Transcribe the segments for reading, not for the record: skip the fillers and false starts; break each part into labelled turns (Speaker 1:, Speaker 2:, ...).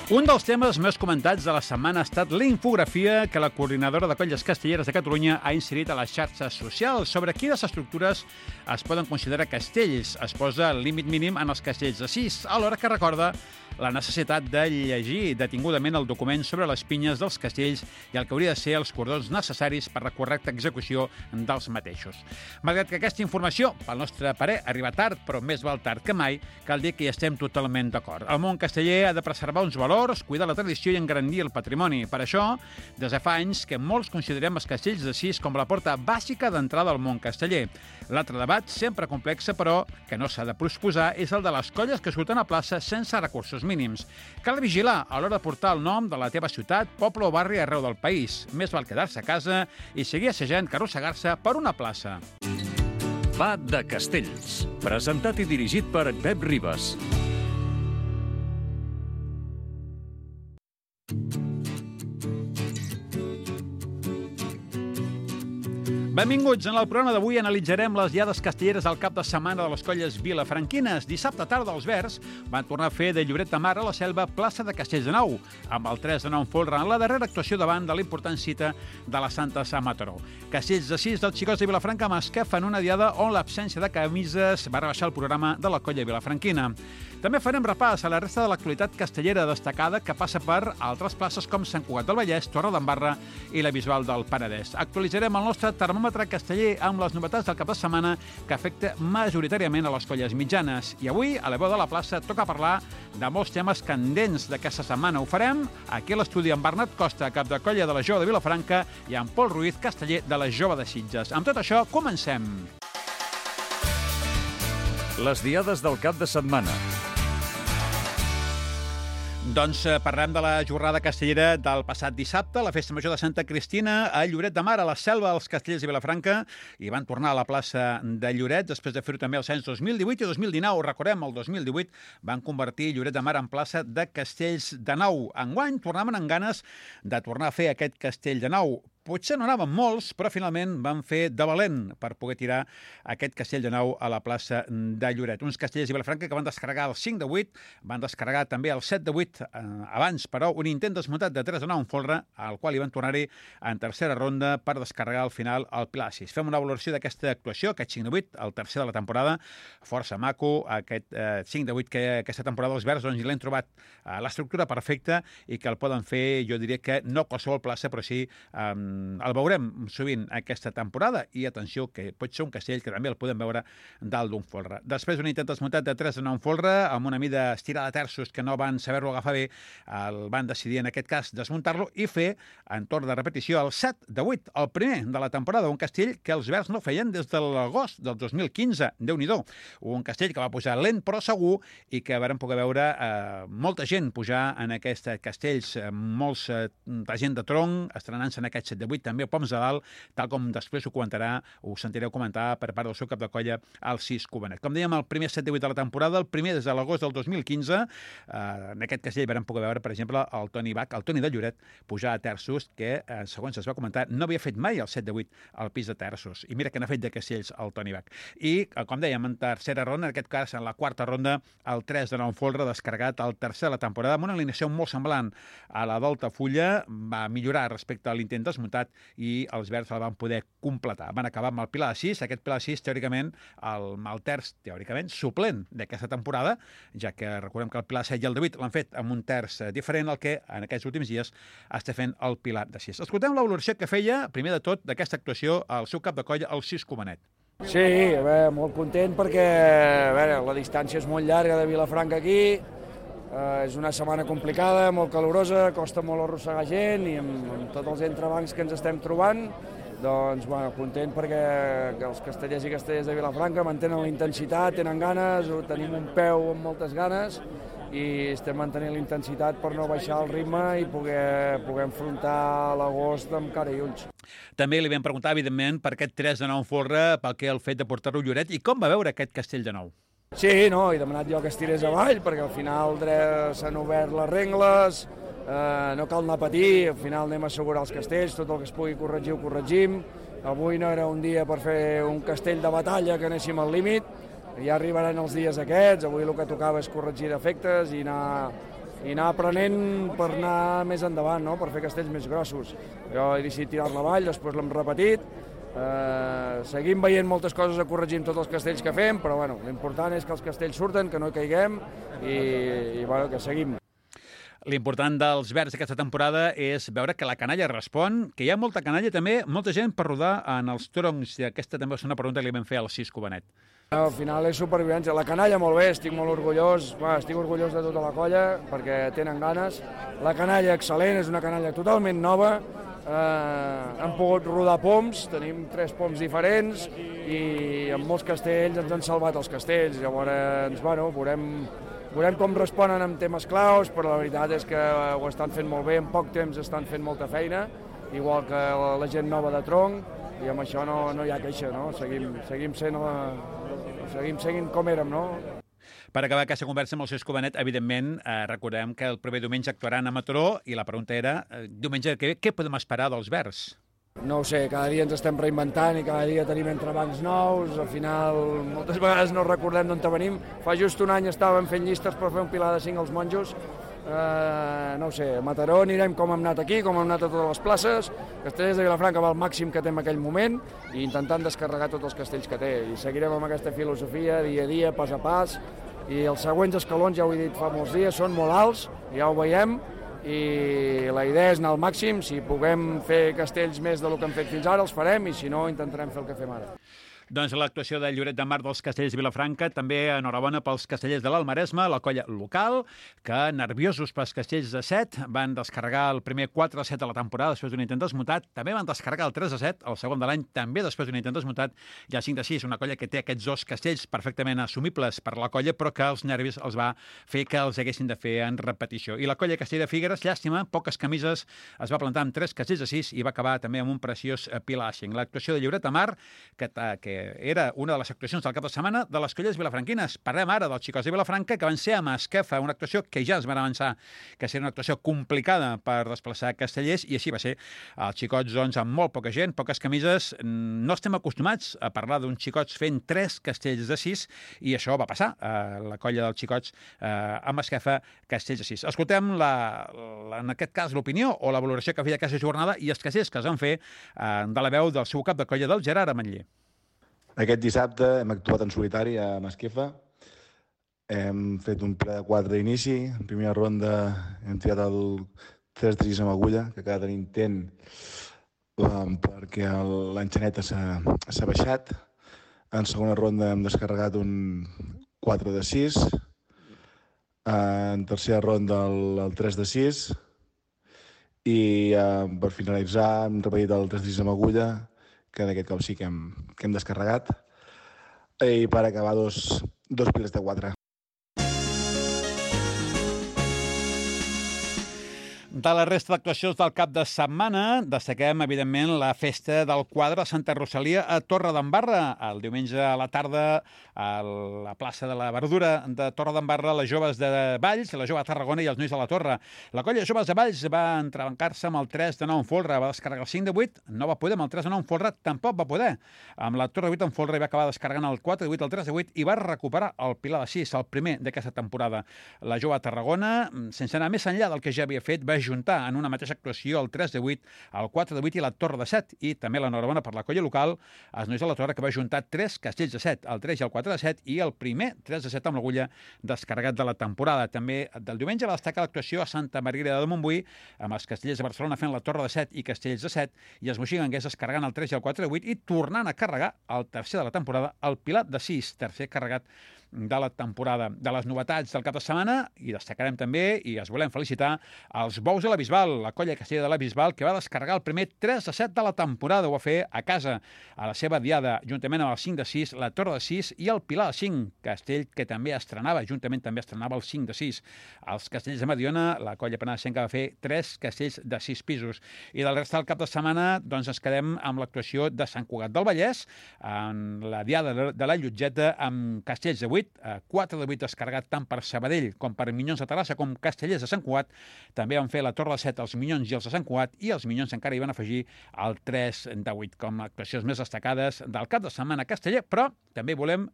Speaker 1: Un dels temes més comentats de la setmana ha estat la infografia que la coordinadora de colles castelleres de Catalunya ha inserit a les xarxes socials sobre quines estructures es poden considerar castells. Es posa el límit mínim en els castells de 6, alhora que recorda la necessitat de llegir detingudament el document sobre les pinyes dels castells i el que hauria de ser els cordons necessaris per la correcta execució dels mateixos. Malgrat que aquesta informació, pel nostre parer, arriba tard, però més val tard que mai, cal dir que hi estem totalment d'acord. El món casteller ha de preservar uns valors, cuidar la tradició i engrandir el patrimoni. Per això, des de fa anys que molts considerem els castells de 6 com la porta bàsica d'entrada al món casteller. L'altre debat, sempre complex, però que no s'ha de posposar, és el de les colles que surten a plaça sense recursos mínims. Cal vigilar a l'hora de portar el nom de la teva ciutat, poble o barri arreu del país. Més val quedar-se a casa i seguir assajant que arrossegar-se per una plaça.
Speaker 2: Va de Castells, presentat i dirigit per Pep Ribas.
Speaker 1: Benvinguts. En el programa d'avui analitzarem les diades castelleres al cap de setmana de les colles vilafranquines. Dissabte tarda els Verds van tornar a fer de Lloret de Mar a la Selva plaça de Castells de Nou, amb el 3 de 9 folre en la darrera actuació davant de l'important cita de la Santa Sant Mataró. Castells de 6 dels xicots de Vilafranca Masca fan una diada on l'absència de camises va rebaixar el programa de la colla vilafranquina. També farem repàs a la resta de l'actualitat castellera destacada que passa per altres places com Sant Cugat del Vallès, Torredembarra i la Bisbal del Penedès. Actualitzarem el nostre termòmetre casteller amb les novetats del cap de setmana que afecta majoritàriament a les colles mitjanes. I avui, a la veu de la plaça, toca parlar de molts temes candents d'aquesta setmana. Ho farem aquí a l'estudi amb Bernat Costa, cap de colla de la Jove de Vilafranca, i amb Pol Ruiz, casteller de la Jove de Sitges. Amb tot això, comencem.
Speaker 2: Les diades del cap de setmana.
Speaker 1: Doncs parlem de la jornada castellera del passat dissabte, la Festa Major de Santa Cristina a Lloret de Mar, a la Selva dels Castellers de Vilafranca, i van tornar a la plaça de Lloret després de fer-ho també els anys 2018 i 2019. Recordem, el 2018 van convertir Lloret de Mar en plaça de Castells de Nou. Enguany tornaven amb ganes de tornar a fer aquest Castell de Nou. Potser no anaven molts, però finalment van fer de valent per poder tirar aquest Castell de Nou a la plaça de Lloret. Uns castellers de Vilafranca que van descarregar el 5 de 8, van descarregar també el 7 de 8 abans, però un intent desmuntat de 3 de 9 en folre, al qual hi van tornar-hi en tercera ronda per descarregar al final el Pilar 6. Fem una valoració d'aquesta actuació, aquest 5 de 8, el tercer de la temporada, força maco, aquest 5 de 8 que aquesta temporada els Verds doncs, l'hem trobat l'estructura perfecta i que el poden fer, jo diria que no qualsevol plaça, però sí el veurem sovint aquesta temporada i atenció que pot ser un castell que també el podem veure dalt d'un folre. Després d'un intent desmuntat de 3 de 9 folre amb una mida estirada de terços que no van saber-lo agafar bé, el van decidir en aquest cas desmuntar-lo i fer en torn de repetició el 7 de 8, el primer de la temporada, un castell que els Verds no feien des de l'agost del 2015, Déu-n'hi-do. Un castell que va pujar lent però segur i que vam poder veure molta gent pujar en aquests castells, molta gent de tronc estrenant-se en aquest 7 de 8, també poms de dalt, tal com després ho comentarà, ho sentireu comentar per part del seu cap de colla, el 6 Cubenet. Com dèiem, el primer 7 de 8 de la temporada, el primer des de l'agost del 2015, en aquest castell vam poder veure, per exemple, el Toni Bach, el Toni de Lloret, pujar a terços, que, segons es va comentar, no havia fet mai el 7 de 8 al pis de terços. I mira que n'ha fet de castells el Toni Bach. I, com dèiem, en tercera ronda, en aquest cas, en la quarta ronda, el 3 de 9 folre, descarregat el tercer de la temporada, amb una alineació molt semblant a la d'Altafulla, va millorar respecte a l'intent desmuntat i els Verds el van poder completar. Van acabar amb el Pilar 6, aquest Pilar 6, teòricament, el terç, teòricament, suplent d'aquesta temporada, ja que recordem que el Pilar 7 i el de 8 l'han fet amb un terç diferent al que en aquests últims dies està fent el Pilar de 6. Escoltem la valoració que feia, primer de tot, d'aquesta actuació al seu cap de colla, el 6 Cubenet.
Speaker 3: Sí, molt content perquè la distància és molt llarga de Vilafranca aquí, és una setmana complicada, molt calorosa, costa molt arrossegar gent i amb tots els entrebancs que ens estem trobant, doncs, content perquè els castellers i castellers de Vilafranca mantenen la intensitat, tenen ganes, tenim un peu amb moltes ganes i estem mantenint la intensitat per no baixar el ritme i poder enfrontar l'agost amb cara i ulls.
Speaker 1: També li vam preguntar, evidentment, per aquest 3 de 9 folre, pel que el fet de portar-lo a Lloret i com va veure aquest castell de Nou.
Speaker 3: Sí, no, he demanat jo que es tirés avall, perquè al final s'han obert les rengles, no cal anar a patir, al final anem a assegurar els castells, tot el que es pugui corregir ho corregim. Avui no era un dia per fer un castell de batalla que anéssim al límit, ja arribaran els dies aquests, avui el que tocava és corregir defectes i anar i anar aprenent per anar més endavant, no? Per fer castells més grossos. Jo he decidit tirar-la avall, després l'hem repetit, seguim veient moltes coses a corregir amb tots els castells que fem, però bueno, l'important és que els castells surten, que no hi caiguem i bueno, que seguim.
Speaker 1: L'important dels verds d'aquesta temporada és veure que la canalla respon, que hi ha molta canalla també, molta gent per rodar en els troncs, i aquesta també és una pregunta que li vam fer al Cisco Benet.
Speaker 3: Al final és supervivència. La canalla molt bé, estic molt orgullós, estic orgullós de tota la colla perquè tenen ganes. La canalla excel·lent, és una canalla totalment nova, hem pogut rodar poms, tenim 3 poms diferents i amb molts castells ens han salvat els castells, llavors, bueno, veurem com responen amb temes claus, però la veritat és que ho estan fent molt bé, en poc temps estan fent molta feina, igual que la gent nova de tronc, i amb això no hi ha queixa, no? Seguim seguint com érem, no?
Speaker 1: Per acabar aquesta conversa amb el Cisco Benet, evidentment, recordem que el proper diumenge actuaran a Mataró i la pregunta era, diumenge que ve, què podem esperar dels verds?
Speaker 3: No ho sé, cada dia ens estem reinventant i cada dia tenim entrebancs nous, al final moltes vegades no recordem d'on venim. Fa just un any estàvem fent llistes per fer un pilar de 5 als monjos, no ho sé, a Mataró anirem com hem anat aquí, com hem anat a totes les places, Castellers de Vilafranca va al màxim que té en aquell moment i intentant descarregar tots els castells que té, i seguirem amb aquesta filosofia dia a dia, pas a pas, i els següents escalons, ja ho he dit fa molts dies, són molt alts, ja ho veiem, i la idea és anar al màxim. Si puguem fer castells més del que hem fet fins ara, els farem, i si no, intentarem fer el que fem ara.
Speaker 1: Doncs l'actuació de Lloret de Mar dels Castellers de Vilafranca, també enhorabona pels Castellers de l'Almaresme, la colla local, que nerviosos pels Castellers de 7, van descarregar el primer 4-7 de la temporada després d'un intent desmutat, també van descarregar el 3-7, el segon de l'any, també després d'un intent desmutat, i el 5-6, una colla que té aquests 2 castells perfectament assumibles per la colla, però que els nervis els va fer que els haguessin de fer en repetició. I la colla Castell de Figueres, llàstima, poques camises, es va plantar amb 3 castells de 6 i va acabar també amb un preciós pilashing. L'actuació de Lloret de Mar, que era una de les actuacions del cap de setmana de les colles vilafranquines. Parlem ara dels xicots de Vilafranca, que van ser a Masquefa, una actuació que ja es van avançar, que seria una actuació complicada per desplaçar castellers, i així va ser. Els xicots, doncs, amb molt poca gent, poques camises, no estem acostumats a parlar d'uns xicots fent 3 castells de 6, i això va passar a la colla dels xicots a Masquefa, castells de 6. Escoltem, en aquest cas, l'opinió o la valoració que feia aquesta jornada i els castells que es van fer de la veu del seu cap de colla, del Gerard Ametller.
Speaker 4: Aquest dissabte hem actuat en solitari a Masquefa. Hem fet un ple de 4 d'inici. En primera ronda hem tirat el 3-3 amb agulla, que cada intent perquè l'enxaneta s'ha baixat. En segona ronda hem descarregat un 4-6. En tercera ronda el 3-6. I per finalitzar hem repetit el 3-3 amb agulla, que d'aquest cop sí que hem descarregat, i per acabar dos pilers de 4.
Speaker 1: De la resta d'actuacions del cap de setmana, destaquem, evidentment, la festa del quadre a Santa Rosalia a Torredembarra. El diumenge a la tarda, a la plaça de la Verdura de Torredembarra, les joves de Valls, la jove de Tarragona i els nois de la Torre. La colla de joves de Valls va entrebancar-se amb el 3 de 9 en folre, va descarregar el 5 de 8, no va poder, amb el 3 de 9 en folre tampoc va poder. Amb la Torre de 8 en folre va acabar descarregant el 4 de 8, el 3 de 8 i va recuperar el pilar de 6, el primer d'aquesta temporada. La jove de Tarragona, sense anar més enllà del que ja havia fet, va juntar en una mateixa actuació el 3 de 8, el 4 de 8 i la Torre de 7. I també l'enhorabona per la colla local, els nois de la Torre, que va juntar 3 castells de 7, el 3 i el 4 de 7, i el primer 3 de 7 amb l'agulla descarregat de la temporada. També del diumenge va destacar l'actuació a Santa Margarida de Montbui, amb els castellers de Barcelona fent la Torre de 7 i castells de 7, i els moxiganguers descarregant el 3 i el 4 de 8 i tornant a carregar el tercer de la temporada, el pilar de 6, tercer carregat de la temporada. De les novetats del cap de setmana, i destacarem també, i els volem felicitar, els bous de la Bisbal, la colla castellera de la Bisbal, que va descarregar el primer 3 de 7 de la temporada. Ho va fer a casa, a la seva diada, juntament amb el 5 de 6, la Torre de 6 i el pilar de 5, castell que també estrenava, juntament també estrenava el 5 de 6. Els castells de Mediona, la colla penedesenca va fer 3 castells de 6 pisos. I del rest del cap de setmana, doncs ens quedem amb l'actuació de Sant Cugat del Vallès, en la diada de la Llotgeta, amb castells de 8, 4 de 8 descarregat tant per Sabadell com per Minyons de Terrassa com Castellers de Sant Cugat. També van fer la Torre de 7 els Minyons i els de Sant Cugat, i els Minyons encara hi van afegir el 3 de 8 com a actuacions més destacades del cap de setmana casteller, però també volem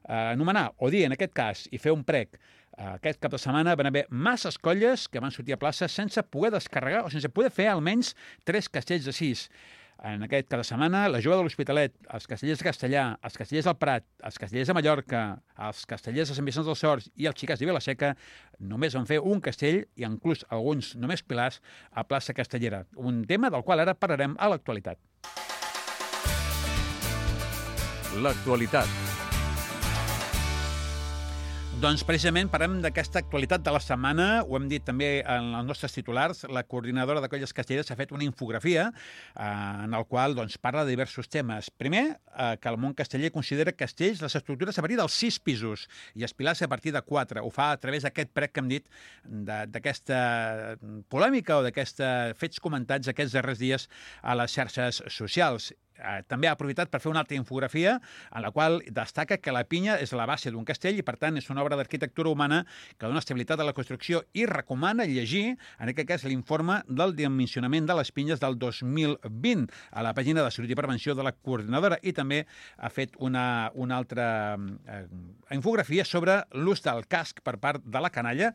Speaker 1: anomenar o dir, en aquest cas, i fer un prec, aquest cap de setmana van haver masses colles que van sortir a plaça sense poder descarregar o sense poder fer almenys 3 castells de 6. En aquest cap de setmana, la Jove de l'Hospitalet, els castellers de Castellà, els castellers del Prat, els castellers de Mallorca, els castellers de Sant Vicenç dels Horts i els xicats de Vilaseca només van fer un castell i inclús alguns només pilars a plaça Castellera. Un tema del qual ara parlarem a l'actualitat.
Speaker 2: L'actualitat.
Speaker 1: Doncs precisament parlem d'aquesta actualitat de la setmana, ho hem dit també en els nostres titulars, la coordinadora de colles castelleres ha fet una infografia en el qual parla de diversos temes. Primer, que el món casteller considera castells les estructures a partir dels 6 pisos i els pilars a partir de 4. Ho fa a través d'aquest prec que hem dit, d'aquesta polèmica o d'aquests fets comentats aquests darrers dies a les xarxes socials. També ha aprofitat per fer una altra infografia en la qual destaca que la pinya és la base d'un castell i, per tant, és una obra d'arquitectura humana que dona estabilitat a la construcció i recomana llegir, en aquest cas, l'informe del dimensionament de les pinyes del 2020 a la pàgina de Salut i Prevenció de la coordinadora, i també ha fet una altra infografia sobre l'ús del casc per part de la canalla.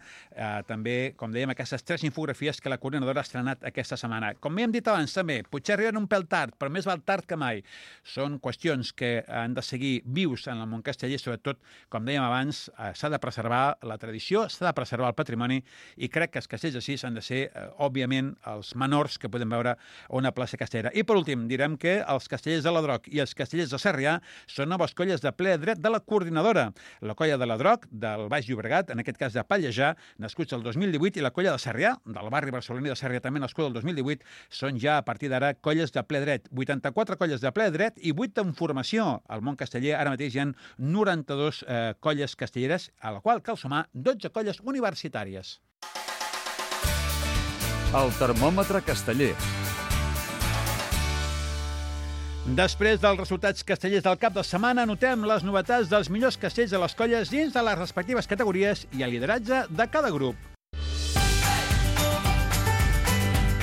Speaker 1: També, com dèiem, aquestes 3 infografies que la coordinadora ha estrenat aquesta setmana. Com hem dit abans, també, potser arriben un pèl tard, però més val tard que mai. Són qüestions que han de seguir vius en el món casteller, sobretot, com dèiem abans, s'ha de preservar la tradició, s'ha de preservar el patrimoni, i crec que els castells de 6 han de ser, òbviament, els menors que podem veure a una plaça castellera. I, per últim, direm que els castellers de l'Adroc i els castellers de Sarrià són noves colles de ple dret de la coordinadora. La colla de l'Adroc, del Baix Llobregat, en aquest cas de Pallejà, nascuts el 2018, i la colla de Sarrià, del barri barceloní de Sarrià, també nascuda el 2018, són ja, a partir d'ara, colles de ple dret. 84 colles de ple dret i 8 en formació. Al món casteller ara mateix hi ha 92 colles castelleres, a la qual cal sumar 12 colles universitàries.
Speaker 2: El termòmetre casteller.
Speaker 1: Després dels resultats castellers del cap de setmana, notem les novetats dels millors castells de les colles dins de les respectives categories i el lideratge de cada grup.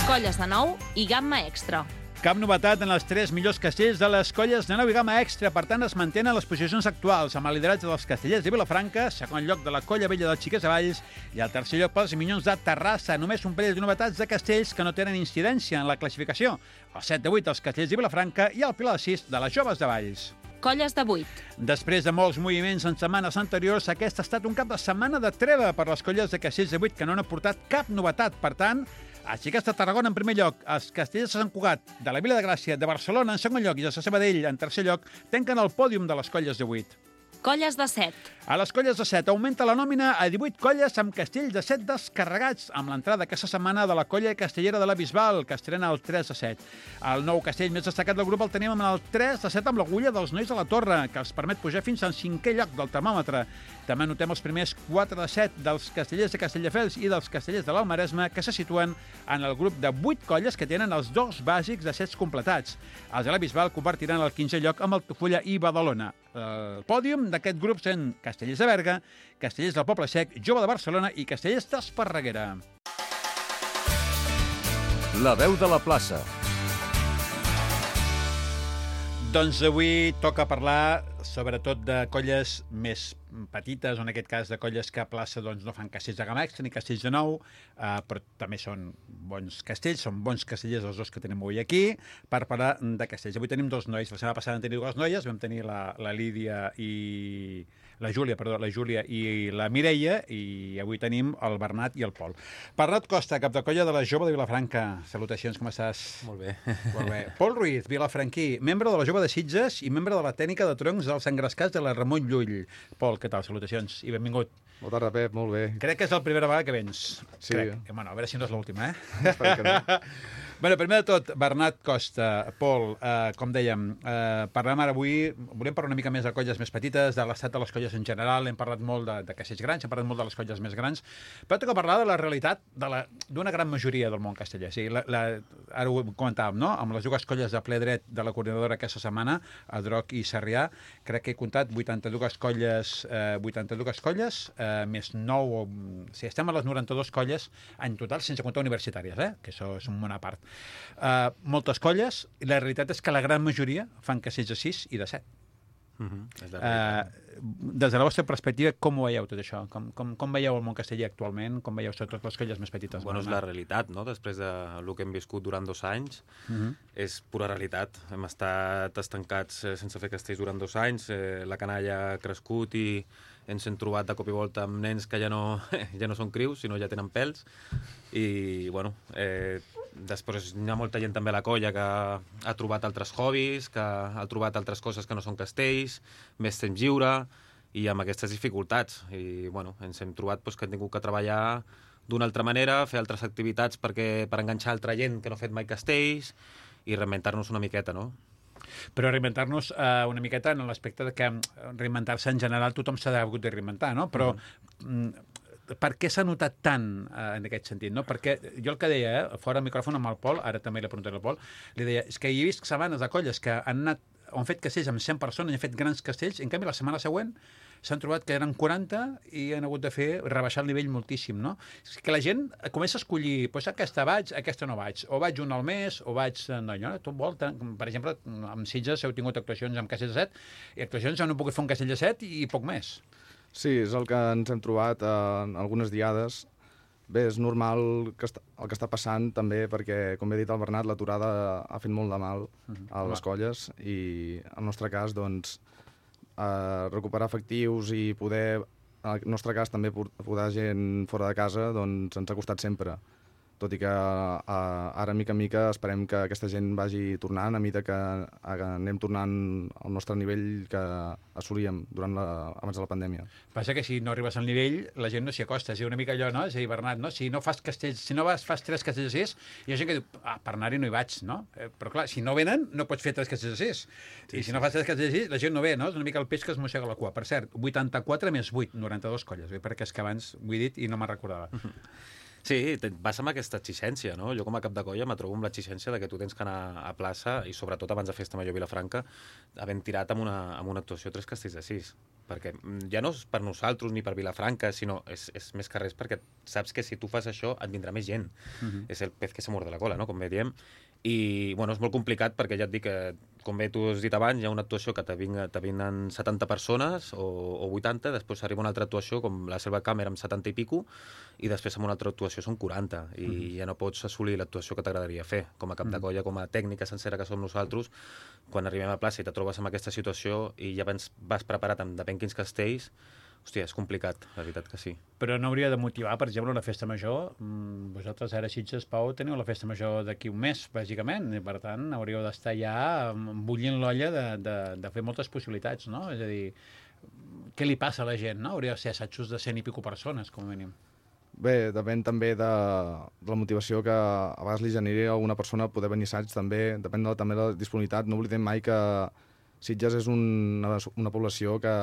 Speaker 5: Colles de 9 i gamma extra.
Speaker 1: Cap novetat en els 3 millors castells de les colles de 9 i gamma extra, per tant es mantenen les posicions actuals, amb el lideratge dels castellers de Vilafranca, segon lloc de la colla vella dels Xiquets de Valls i el tercer lloc pels Minyons de Terrassa. Només un parell de novetats de castells que no tenen incidència en la classificació. El 7 de 8 dels castellers de Vilafranca i el Pilar de 6 de les Joves de Valls.
Speaker 5: Colles de 8.
Speaker 1: Després de molts moviments en setmanes anteriors, aquest ha estat un cap de setmana de treva per les colles de castells de 8 que no han aportat cap novetat. Per tant, els Xiquets de Tarragona en primer lloc, els castellers de Sant Cugat, de la Vila de Gràcia, de Barcelona en segon lloc i els de Sabadell en tercer lloc tanquen el pòdium de les colles de 8.
Speaker 5: Colles de 7.
Speaker 1: A les colles de 7 augmenta la nòmina a 18 colles amb castells de 7 descarregats, amb l'entrada aquesta setmana de la colla castellera de la Bisbal, que estrena el 3 de 7. El nou castell més destacat del grup el tenim amb el 3 de 7 amb l'agulla dels Nois de la Torre, que els permet pujar fins al 5è lloc del termòmetre. També notem els primers 4 de 7 dels castellers de Castelldefels i dels castellers de l'Almaresme, que se situen en el grup de 8 colles que tenen els 2 bàsics de 7 completats. Els de la Bisbal compartiran el 15è lloc amb Altafulla i Badalona. El pòdium d'aquest grup són Castellers de Berga, Castellers del Poble Sec, Jove de Barcelona i Castellers d'Esparreguera.
Speaker 2: La veu de la plaça.
Speaker 1: Doncs avui toca parlar sobretot de colles més petites, o en aquest cas de colles que a plaça no fan castells de gamma extra ni castells de 9, però també són bons castells, són bons castellers els dos que tenim avui aquí, per parlar de castells. Avui tenim 2 nois, la setmana passada vam tenir 2 noies, vam tenir la Lídia i... la Júlia i la Mireia, i avui tenim el Bernat i el Pol. Bernat Costa, cap de colla de la Jove de Vilafranca. Salutacions, com estàs?
Speaker 6: Molt bé.
Speaker 1: Molt bé. Pol Ruiz, vilafranquí, membre de la Jove de Sitges i membre de la tècnica de troncs dels engrescats de la Ramon Llull. Pol, què tal? Salutacions i benvingut.
Speaker 6: Bona tarda, Pep, molt bé.
Speaker 1: Crec que és la primera vegada que vens.
Speaker 6: Sí.
Speaker 1: Crec. Bueno, a veure si no és l'última,
Speaker 6: Espero que no.
Speaker 1: Bueno, primer de tot, Bernat Costa, Pol, com dèiem, parlem ara avui, volem parlar una mica més de colles més petites, de l'estat de les colles en general, hem parlat molt de castells grans, hem parlat molt de les colles més grans, però toca parlar de la realitat d'una gran majoria del món casteller. O sigui, ara ho comentàvem, no? Amb les 2 colles de ple dret de la coordinadora aquesta setmana, Adroc i Sarrià, crec que he comptat 82 colles, més 9, o sigui, estem a les 92 colles en total, sense comptar universitàries, que això és un món a part. Moltes colles, i la realitat és que la gran majoria fan castells de 6 i de 7. des de la vostra perspectiva, com ho veieu tot això? Com veieu el món casteller actualment? Com veieu sobretot les colles més petites?
Speaker 6: Bueno, és la realitat, no? Després del que hem viscut durant 2 anys, és pura realitat. Hem estat estancats sense fer castells durant 2 anys, la canalla ha crescut i ens hem trobat de cop i volta amb nens que ja no són crius, sinó ja tenen pèls. I, bueno, després hi ha molta gent també a la colla que ha trobat altres hobbies, que ha trobat altres coses que no són castells, més temps lliure, i amb aquestes dificultats. I, bueno, ens hem trobat que hem tingut que treballar d'una altra manera, fer altres activitats per enganxar altra gent que no ha fet mai castells i reinventar-nos una miqueta, no?
Speaker 1: Però reinventar-nos una miqueta en l'aspecte de que reinventar-se en general tothom s'ha hagut de reinventar, no? Però per què s'ha notat tant en aquest sentit, no? Perquè jo el que deia, fora del micròfon amb el Pol, ara també l'he preguntat al Pol, li deia, és que hi he vist setmanes de colles que han fet castells amb 100 persones, han fet grans castells, i en canvi la setmana següent s'han trobat que eren 40 i han hagut de rebaixar el nivell moltíssim, no? És que la gent comença a escollir, doncs aquesta vaig, aquesta no vaig, o vaig un al mes, o vaig... No, tot vol, per exemple, amb Sitges heu tingut actuacions amb castells de 7, i actuacions on heu pogut fer un castell de 7 i poc més.
Speaker 6: Sí, és el que ens hem trobat en algunes diades. Bé, és normal el que està passant també perquè, com he dit el Bernat, l'aturada ha fet molt de mal a les colles i, en el nostre cas, doncs, recuperar efectius i poder, en el nostre cas, també poder gent fora de casa, doncs ens ha costat sempre. Tot i que ara, mica en mica, esperem que aquesta gent vagi tornant, a mesura que anem tornant al nostre nivell que assolíem abans de la pandèmia.
Speaker 1: Passa que si no arribes al nivell, la gent no s'hi acosta. És una mica allò, no? És a dir, Bernat, no? Si no fas castells, si no fas 3 castells de 6, hi ha gent que diu, per anar-hi no hi vaig, no? Però clar, si no venen, no pots fer 3 castells de 6. I si no fas 3 castells de 6, la gent no ve, no? És una mica el peix que es mossega la cua. Per cert, 84 més 8, 92 colles, perquè és que abans ho he dit i no me'n recordava.
Speaker 7: Sí, vas amb aquesta exigència, no? Jo com a cap de colla me trobo amb l'exigència de que tu tens que anar a plaça i sobretot abans de Festa Major Vilafranca havent tirat amb una actuació 3 castells de 6, perquè ja no és per nosaltres ni per Vilafranca, sinó és més que res perquè saps que si tu fas això et vindrà més gent. És el pez que se muerde la cola, no? Com bé diem. I, bueno, és molt complicat perquè ja et dic que, com bé tu has dit abans, hi ha una actuació que te vinen 70 persones o 80, després arriba una altra actuació com la Selva Càmera amb 70 i pico, i després amb una altra actuació són 40, i ja no pots assolir l'actuació que t'agradaria fer. Com a cap de colla, com a tècnica sencera que som nosaltres, quan arribem a plaça i te trobes amb aquesta situació i ja vas preparat amb depèn quins castells, hòstia, és complicat, la veritat que sí.
Speaker 1: Però no hauria de motivar, per exemple, una festa major? Vosaltres ara a Sitges, Pau, teniu la festa major d'aquí un mes, bàsicament, i per tant hauríeu d'estar ja bullint l'olla de fer moltes possibilitats, no? És a dir, què li passa a la gent, no? Hauria de ser assajos de 100 i pico persones, com a mínim.
Speaker 6: Bé, depèn també de la motivació que a vegades li generi a alguna persona poder venir a assaig, també depèn també de la disponibilitat. No oblidem mai que Sitges és una població que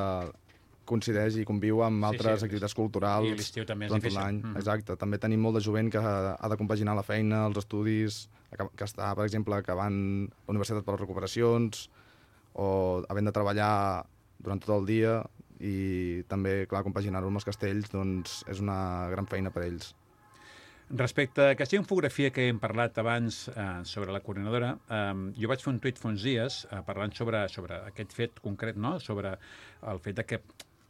Speaker 6: coincideix i conviu amb altres activitats culturals.
Speaker 1: I l'estiu també és
Speaker 6: durant
Speaker 1: difícil.
Speaker 6: l'any. Exacte. També tenim molt de jovent que ha de compaginar la feina, els estudis, que està, per exemple, acabant la universitat per les recuperacions o havent de treballar durant tot el dia i també, clar, compaginar-ho amb els castells doncs, és una gran feina per a ells.
Speaker 1: Respecte a aquesta infografia que hem parlat abans sobre la coordinadora, jo vaig fer un tuit fa uns dies parlant sobre aquest fet concret, no? Sobre el fet de que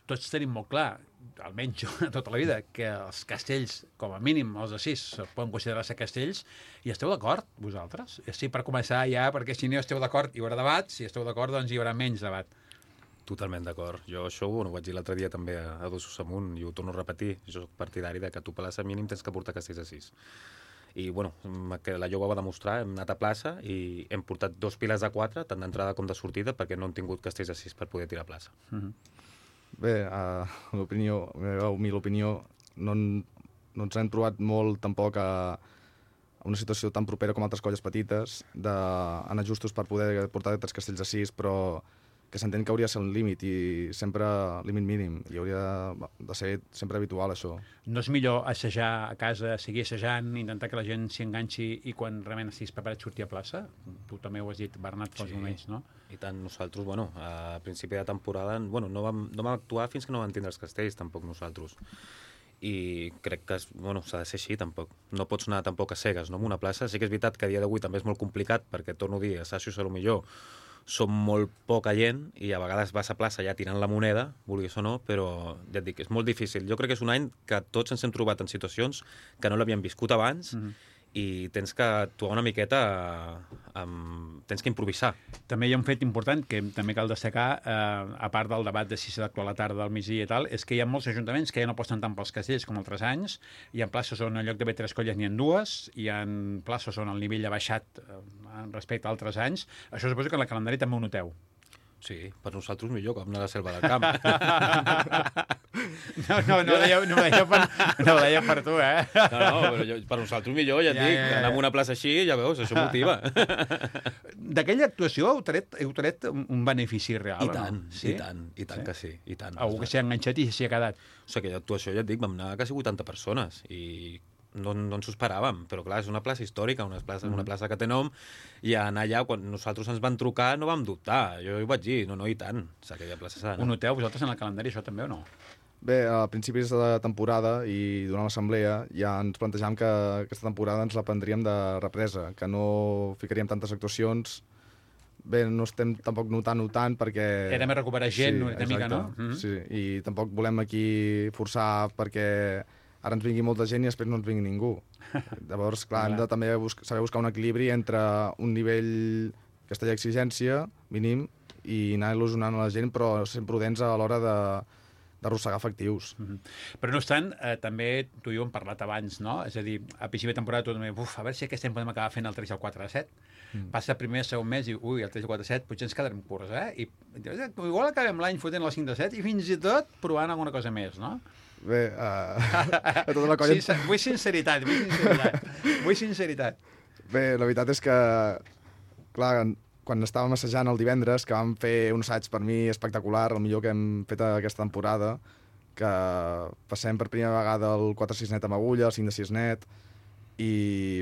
Speaker 1: tots tenim molt clar, almenys jo tota la vida, que els castells, com a mínim els de 6, poden considerar-se castells, i esteu d'acord, vosaltres? Sí, per començar ja, perquè si no esteu d'acord hi haurà debat, si esteu d'acord doncs hi haurà menys debat.
Speaker 7: Totalment d'acord. Jo això ho vaig dir l'altre dia també a Dosos Amunt i ho torno a repetir. Jo soc partidari de que tu a plaça mínim tens que portar castells de 6. I, bueno, la Lloga va demostrar, hem anat a plaça i hem portat 2 piles de 4, tant d'entrada com de sortida, perquè no hem tingut castells de 6 per poder tirar a plaça.
Speaker 6: Bé, meva humil opinió, no ens hem trobat molt tampoc a una situació tan propera com altres colles petites, d'anar justos per poder portar 3 castells de 6, però que s'entén que hauria de ser un límit i sempre límit mínim i hauria de ser sempre habitual això.
Speaker 1: No és millor assajar a casa, seguir assajant, intentar que la gent s'hi enganxi i quan realment estiguis preparat sortir a plaça? Tu també ho has dit, Bernat, fa uns moments, no?
Speaker 7: I tant, nosaltres, bueno, a principi de temporada, bueno, no vam actuar fins que no vam tindre els castells, tampoc nosaltres. I crec que s'ha de ser així, tampoc. No pots anar tampoc a cegues, no? En una plaça. Sí que és veritat que a dia d'avui també és molt complicat, perquè, torno a dir, assajos a lo millor
Speaker 6: som molt poca gent i a vegades vas a plaça ja tirant la moneda, vulguis o no, però ja et dic, és molt difícil. Jo crec que és un any que tots ens hem trobat en situacions que no l'havíem viscut abans i tens que actuar una miqueta, tens que improvisar.
Speaker 1: També hi ha un fet important que també cal destacar, a part del debat de si s'ha d'actuar a la tarda, al migdia i tal, és que hi ha molts ajuntaments que ja no aposten tant pels castells com altres anys. Hi ha places on en lloc d'haver 3 colles n'hi ha 2, hi ha places on el nivell ha baixat respecte a altres anys. Això suposo que en el calendari també ho noteu.
Speaker 6: Sí, per nosaltres millor que anar a la selva del camp.
Speaker 1: No ho deia per tu, eh?
Speaker 6: No, però per nosaltres millor, ja et dic, anar a una plaça així, ja veus, això motiva.
Speaker 1: D'aquella actuació heu tret un benefici real,
Speaker 6: I tant,
Speaker 1: no? Sí?
Speaker 6: i tant que sí, i tant.
Speaker 1: Algú que s'hi ha enganxat i s'hi ha quedat.
Speaker 6: O sigui, aquella actuació, ja et dic, vam anar quasi 80 persones i no ens ho esperàvem, però clar, és una plaça històrica, una plaça que té nom, i anar allà, quan nosaltres ens van trucar, no vam dubtar. Jo ho vaig dir, no, i tant. O sigui, aquella plaça s'ha d'anar.
Speaker 1: Ho noteu vosaltres en el calendari, això també, o no?
Speaker 8: Bé, a principis de temporada i durant l'assemblea ja ens plantejàvem que aquesta temporada ens la prendríem de represa, que no ficaríem tantes actuacions. Bé, no estem tampoc notant perquè...
Speaker 1: Era més recuperar gent, una mica, no?
Speaker 8: Sí, i tampoc volem aquí forçar perquè ara ens vingui molta gent i després no ens vingui ningú. Llavors, clar, hem de també saber buscar un equilibri entre un nivell castella exigència mínim i anar il·lusionant a la gent, però sent prudents a l'hora d'arrossegar efectius.
Speaker 1: Però no obstant, també tu i jo hem parlat abans, no? És a dir, a principi de temporada tu també, a veure si aquest any podem acabar fent el 3 i el 4 a 7. Passa el primer, segon mes i ui, el 3 i 4 a 7, potser ens quedarem curts, I igual acabem l'any fotent el 5 de 7 i fins i tot provant alguna cosa més, no?
Speaker 8: Bé, a tota la colla...
Speaker 1: Sí, vull sinceritat.
Speaker 8: Bé, la veritat és que, clar, quan estàvem assajant el divendres, que vam fer un assaig per mi espectacular, el millor que hem fet aquesta temporada, que passem per primera vegada el 4-6 net amb agulla, el 5 de 6 net, i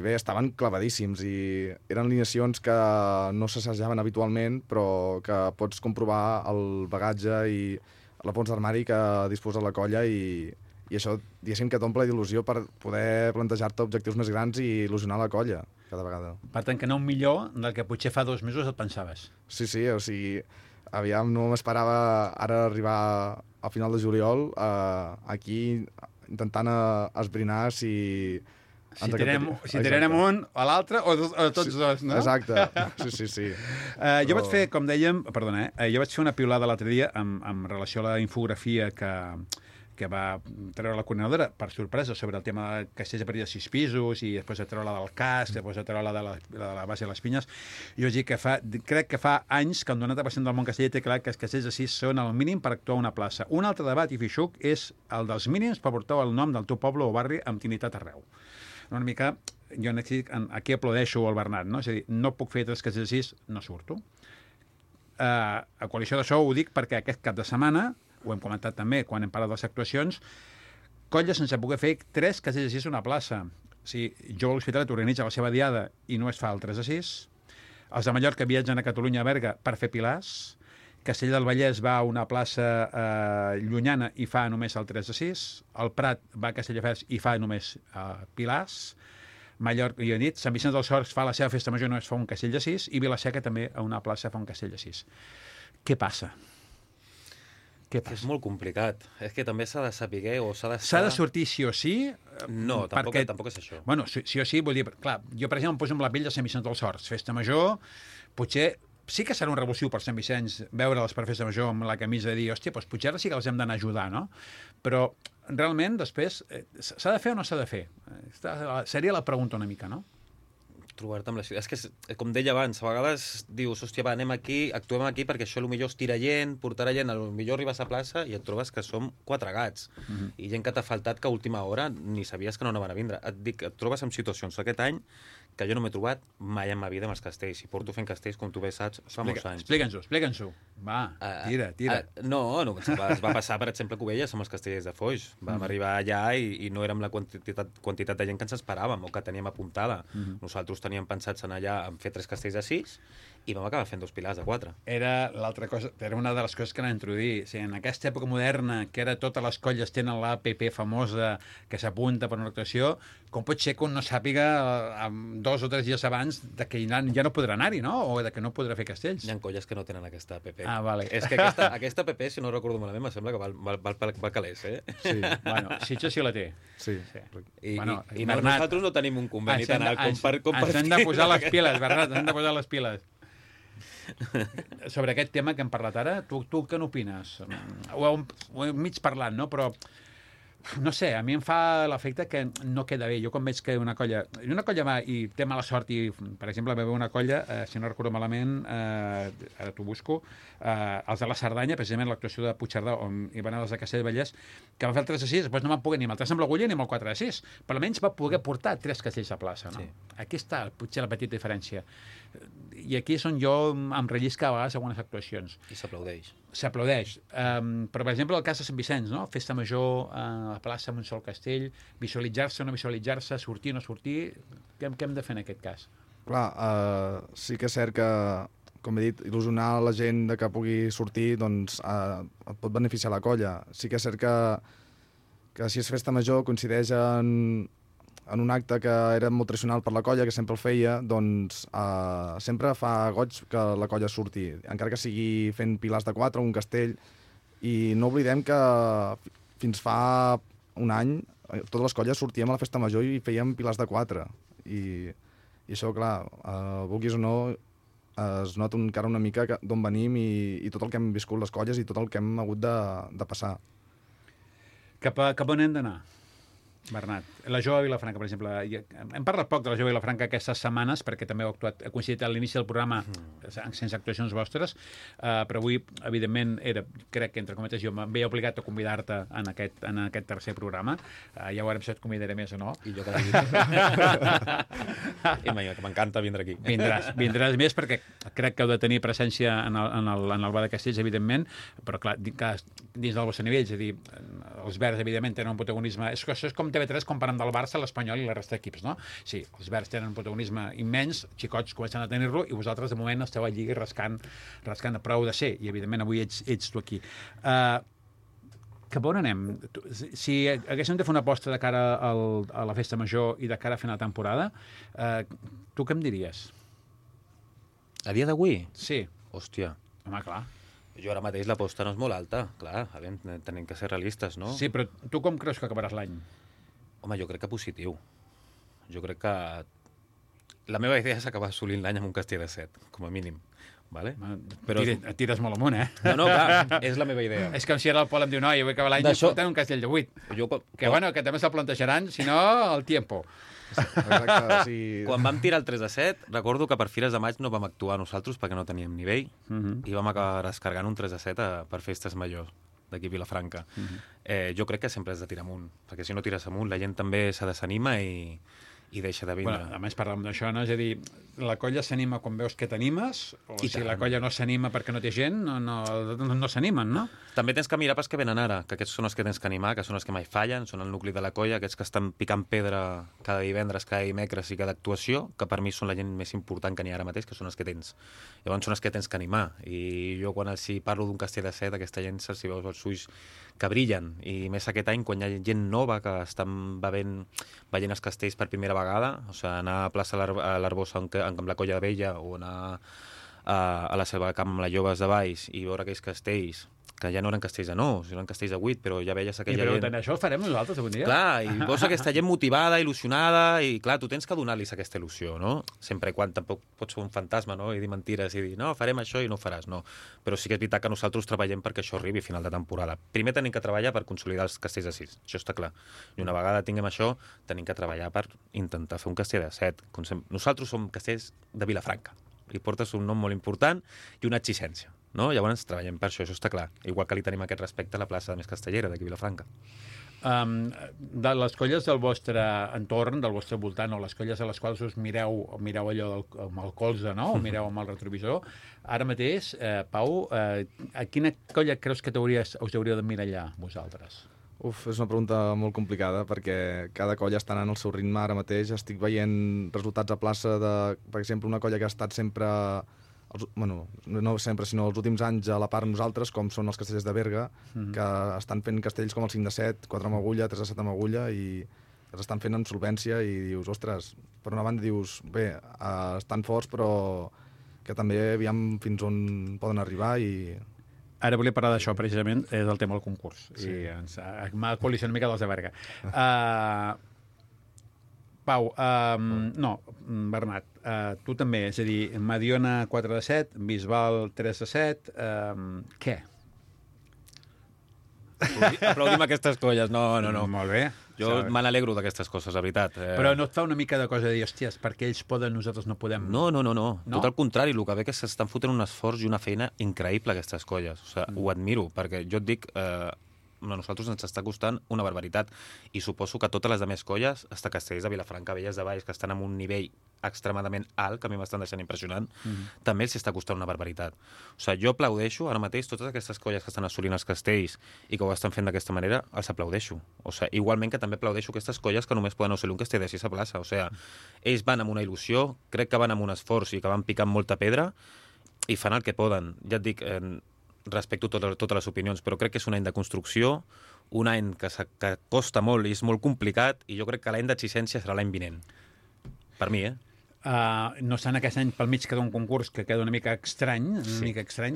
Speaker 8: bé, estaven clavadíssims i eren alineacions que no s'assajaven habitualment, però que pots comprovar el bagatge i la fons d'armari que disposa la colla i això, diguéssim, que t'omple d'il·lusió per poder plantejar-te objectius més grans i il·lusionar la colla cada vegada.
Speaker 1: Per tant, que no un millor del que potser fa 2 mesos et pensaves.
Speaker 8: Sí, o sigui, aviam, no m'esperava ara arribar a final de juliol aquí intentant esbrinar si
Speaker 1: tirem un a l'altre o tots dos, no?
Speaker 8: Exacte, sí.
Speaker 1: Jo vaig fer, com dèiem, perdona, jo vaig fer una piulada l'altre dia amb relació a la infografia que va treure la coordinadora, per sorpresa, sobre el tema de castells a partir de 6 pisos i després de treure la del casc, després de treure la de la base de les pinyes. Jo vaig dir que crec que fa anys que el 90% del món casteller té clar que els castells de 6 són el mínim per actuar a una plaça. Un altre debat i fixuc és el dels mínims per portar el nom del teu poble o barri amb dignitat arreu. Una mica, jo aquí aplaudeixo al Bernat, no? És a dir, no puc fer 3 castells de 6, no surto. A coalició d'això ho dic perquè aquest cap de setmana, ho hem comentat també quan hem parlat de les actuacions, colla sense poder fer 3 castells de 6 a una plaça. O sigui, jo a l'Hospitalet organitza la seva diada i no es fa el 3 de 6. Els de Mallorca viatgen a Catalunya a Berga per fer pilars. Castell del Vallès va a una plaça llunyana i fa només el 3 de 6. El Prat va a Castelldefels i fa només pilars. Mallorca, jo he dit, Sant Vicenç dels Horts fa la seva festa major, només fa un castell de 6, i Vila-seca també a una plaça fa un castell de 6. Què passa?
Speaker 6: És molt complicat. És que també s'ha de saber o s'ha de...
Speaker 1: S'ha de sortir sí o sí?
Speaker 6: No, tampoc és això.
Speaker 1: Bueno, sí o sí, vull dir, clar, jo per exemple em poso amb la pell de Sant Vicenç dels Horts. Festa major, potser sí que serà un revulsiu per Sant Vicenç veure'ls per festa major amb la camisa i dir, hòstia, doncs potser ara sí que els hem d'anar a ajudar, no? Però realment després s'ha de fer o no s'ha de fer? Seria la pregunta una mica, no?
Speaker 6: Trobar-te amb la ciutat. És que, com deia abans, a vegades dius, hòstia, va, anem aquí, actuem aquí perquè això potser es tira gent, portarà gent, potser arribes a plaça i et trobes que som 4 gats. I gent que t'ha faltat que a última hora ni sabies que no van a vindre. Et dic, et trobes en situacions aquest any que jo no m'he trobat mai en ma vida amb els castells. I porto fent castells, com tu bé saps, fa molts anys.
Speaker 1: Explica'ns-ho. Va, tira.
Speaker 6: No, es va passar, per exemple, a Cubelles amb els castellers de Foix. Vam arribar allà i no érem la quantitat de gent que ens esperàvem o que teníem apuntada. Nosaltres teníem pensats anar allà a fer 3 castells de 6 i vam acabar fent 2 pilars de 4.
Speaker 1: Era l'altra cosa, era una de les coses que anava a introduir. O sigui, en aquesta època moderna, que ara totes les colles tenen l'APP famosa que s'apunta per una actuació, com pot ser que un no sàpiga 2 o 3 dies abans de que ja no podrà anar-hi, no? O de que no podrà fer castells?
Speaker 6: Hi ha colles que no tenen aquesta APP.
Speaker 1: Ah, vale.
Speaker 6: És que aquesta APP, si no recordo malament, me sembla que val calés, eh?
Speaker 8: Sí.
Speaker 1: Bueno, Sitges sí la té.
Speaker 8: Sí.
Speaker 6: I
Speaker 1: Bernat,
Speaker 6: nosaltres no tenim un conveni tan alt com per compartir.
Speaker 1: Ens hem de posar les piles, Bernat, ens hem de posar les piles. Sobre aquest tema que hem parlat ara, tu què n'opines? Ho hem mig parlat, no? Però, no sé, a mi em fa l'efecte que no queda bé. Jo quan veig que una colla va i té mala sort i, per exemple, va haver una colla, si no recordo malament, ara t'ho busco, els de la Cerdanya, precisament l'actuació de Puigcerdà, on hi van els de Castelldevellers, que van fer el 3 de 6, després no van poder ni amb el 3 amb l'agulla ni amb el 4 de 6, però almenys va poder portar 3 castells a plaça, no? Sí. Aquí està, potser, la petita diferència. I aquí és on jo em rellisca a vegades algunes actuacions.
Speaker 6: I s'aplaudeix.
Speaker 1: S'aplaudeix. Però, per exemple, el cas de Sant Vicenç, no? Festa major a la plaça amb un sol castell, visualitzar-se o no visualitzar-se, sortir o no sortir, què hem de fer en aquest cas?
Speaker 8: Clar, sí que és cert que, com he dit, il·lusionar la gent de que pugui sortir, doncs et pot beneficiar la colla. Sí que és cert que si és festa major coincideix en un acte que era molt tradicional per la colla, que sempre el feia, doncs sempre fa goig que la colla surti, encara que sigui fent pilars de 4 o un castell. I no oblidem que fins fa un any totes les colles sortíem a la festa major i fèiem pilars de 4. I això, clar, vulguis o no, es nota encara una mica d'on venim i tot el que hem viscut les colles i tot el que hem hagut de passar.
Speaker 1: Cap on hem d'anar, Bernat? La Jove de Vilafranca, per exemple. Hem parlat poc de la Jove de Vilafranca aquestes setmanes, perquè també ha coincidit a l'inici del programa sense actuacions vostres, però avui, evidentment, crec que, entre cometes, jo em veia obligat a convidar-te en aquest tercer programa. Ja veurem si et convidaré més o no.
Speaker 6: I jo cada dia. I m'encanta vindre aquí.
Speaker 1: Vindràs més, perquè crec que heu de tenir presència en el Bar de Castells, evidentment, però, clar, dins del vostre nivell, és a dir, els verds, evidentment, tenen un protagonisme. Això és com TV3 comparant del Barça, l'Espanyol i la resta d'equips, no? Sí, els verds tenen un protagonisme immens, xicots comencen a tenir-lo, i vosaltres, de moment, esteu allí rascant a prou de ser, i, evidentment, avui ets tu aquí. Cap on anem? Si haguéssim de fer una aposta de cara a la festa major i de cara a final de temporada, tu què em diries?
Speaker 6: A dia d'avui?
Speaker 1: Sí.
Speaker 6: Hòstia.
Speaker 1: Home, clar.
Speaker 6: Jo ara mateix l'aposta no és molt alta, clar, tenim que ser realistes, no?
Speaker 1: Sí, però tu com creus que acabaràs l'any?
Speaker 6: Home, jo crec que positiu. Jo crec que la meva idea és acabar assolint l'any amb un castell de 7, com a mínim. Vale?
Speaker 1: Però tires molt amunt, eh?
Speaker 6: No, clar, és la meva idea.
Speaker 1: És com si ara el Pol em diu, no, jo vull acabar l'any portant un castell de 8. Que també se'l plantejaran, si no, el tiempo.
Speaker 8: Exacte, sí.
Speaker 6: Quan vam tirar el 3 de 7, recordo que per Fires de Maig no vam actuar nosaltres perquè no teníem nivell i vam acabar descarregant un 3 de 7 per festes majors d'aquí a Vilafranca. Jo crec que sempre has de tirar amunt, perquè si no tires amunt la gent també se desanima i deixa de vindre.
Speaker 1: Bueno, a més, parlem d'això, no? És a dir, la colla s'anima quan veus que t'animes, o si la colla no s'anima perquè no té gent, no s'animen, no?
Speaker 6: També tens que mirar pels que venen ara, que aquests són els que tens que animar, que són els que mai fallen, són el nucli de la colla, aquests que estan picant pedra cada divendres, cada dimecres i cada actuació, que per mi són la gent més important que n'hi ha ara mateix, que són els que tens. Llavors són els que tens que animar. I jo quan els parlo d'un castell de 7, aquesta gent se'ls veus els ulls que brillen. I més aquest any, quan hi ha gent nova que estan veient els castells per primera vegada, o sigui, anar a plaça l'Arbosa amb la Colla de Vella o anar a la Selva de Camp amb les Joves de Valls i veure aquells castells, que ja no eren castells de 9, eren castells de 8, però ja veies aquella gent...
Speaker 1: Però això ho farem nosaltres algun dia?
Speaker 6: Clar, i veus aquesta gent motivada, il·lusionada, i clar, tu tens que donar-los aquesta il·lusió, no? Sempre i quan tampoc pots ser un fantasma, no? I dir mentires i dir, no, farem això i no ho faràs, no. Però sí que és veritat que nosaltres treballem perquè això arribi a final de temporada. Primer tenim que treballar per consolidar els castells de 6, això està clar. I una vegada tinguem això, tenim que treballar per intentar fer un castell de 7. Nosaltres som castells de Vilafranca. Li portes un nom molt important i una exigència, no? Llavors treballem per això està clar. Igual que li tenim aquest respecte a la plaça més castellera d'aquí Vilafranca.
Speaker 1: De les colles del vostre entorn, del vostre voltant, o les colles a les quals us mireu allò amb el colze, no? O mireu amb el retrovisor, ara mateix, Pau, a quina colla creus que us hauríeu d'emmirallar vosaltres?
Speaker 8: És una pregunta molt complicada perquè cada colla està anant al seu ritme ara mateix. Estic veient resultats a plaça de, per exemple, una colla que ha estat sempre no sempre, sinó els últims anys a la part nosaltres, com són els castellers de Berga, que estan fent castells com el 5 de 7, 4 amb agulla, 3 de 7 amb agulla, i els estan fent amb solvència, i dius, ostres, per una banda dius, bé, estan forts, però que també aviam fins on poden arribar, i...
Speaker 1: Ara volia parlar d'això, precisament, és el tema del concurs. Sí. I m'ha col·lisionat una mica dels de Berga. Pau, no, Bernat, tu també, és a dir, Mediona 4 de 7, Bisbal 3 de 7, què?
Speaker 7: Aplaudim aquestes colles, no.
Speaker 1: Molt bé.
Speaker 7: Jo me n'alegro d'aquestes coses, la veritat.
Speaker 1: Però no et fa una mica de cosa de dir, hòsties, perquè ells poden, nosaltres no podem?
Speaker 7: No. Tot al contrari, el que ve que s'estan fotent un esforç i una feina increïble, aquestes colles. O sigui, ho admiro, perquè jo et dic, a nosaltres ens està costant una barbaritat, i suposo que totes les altres colles, hasta Castells de Vilafranca, Belles de Valls, que estan en un nivell extremadament alt, que a mi m'estan deixant impressionant, també els està costant una barbaritat. O sigui, jo aplaudeixo ara mateix totes aquestes colles que estan assolint els castells i que ho estan fent d'aquesta manera, els aplaudeixo. O sigui, igualment que també aplaudeixo aquestes colles que només poden assolir un castell de 6 a plaça. O sigui, ells van amb una il·lusió, crec que van amb un esforç i que van picant molta pedra i fan el que poden. Ja et dic, respecto totes les opinions, però crec que és un any de construcció, un any que costa molt i és molt complicat, i jo crec que l'any d'exigència serà l'any vinent. Per mi,
Speaker 1: no estan aquest any pel mig queda un concurs que queda una mica estrany,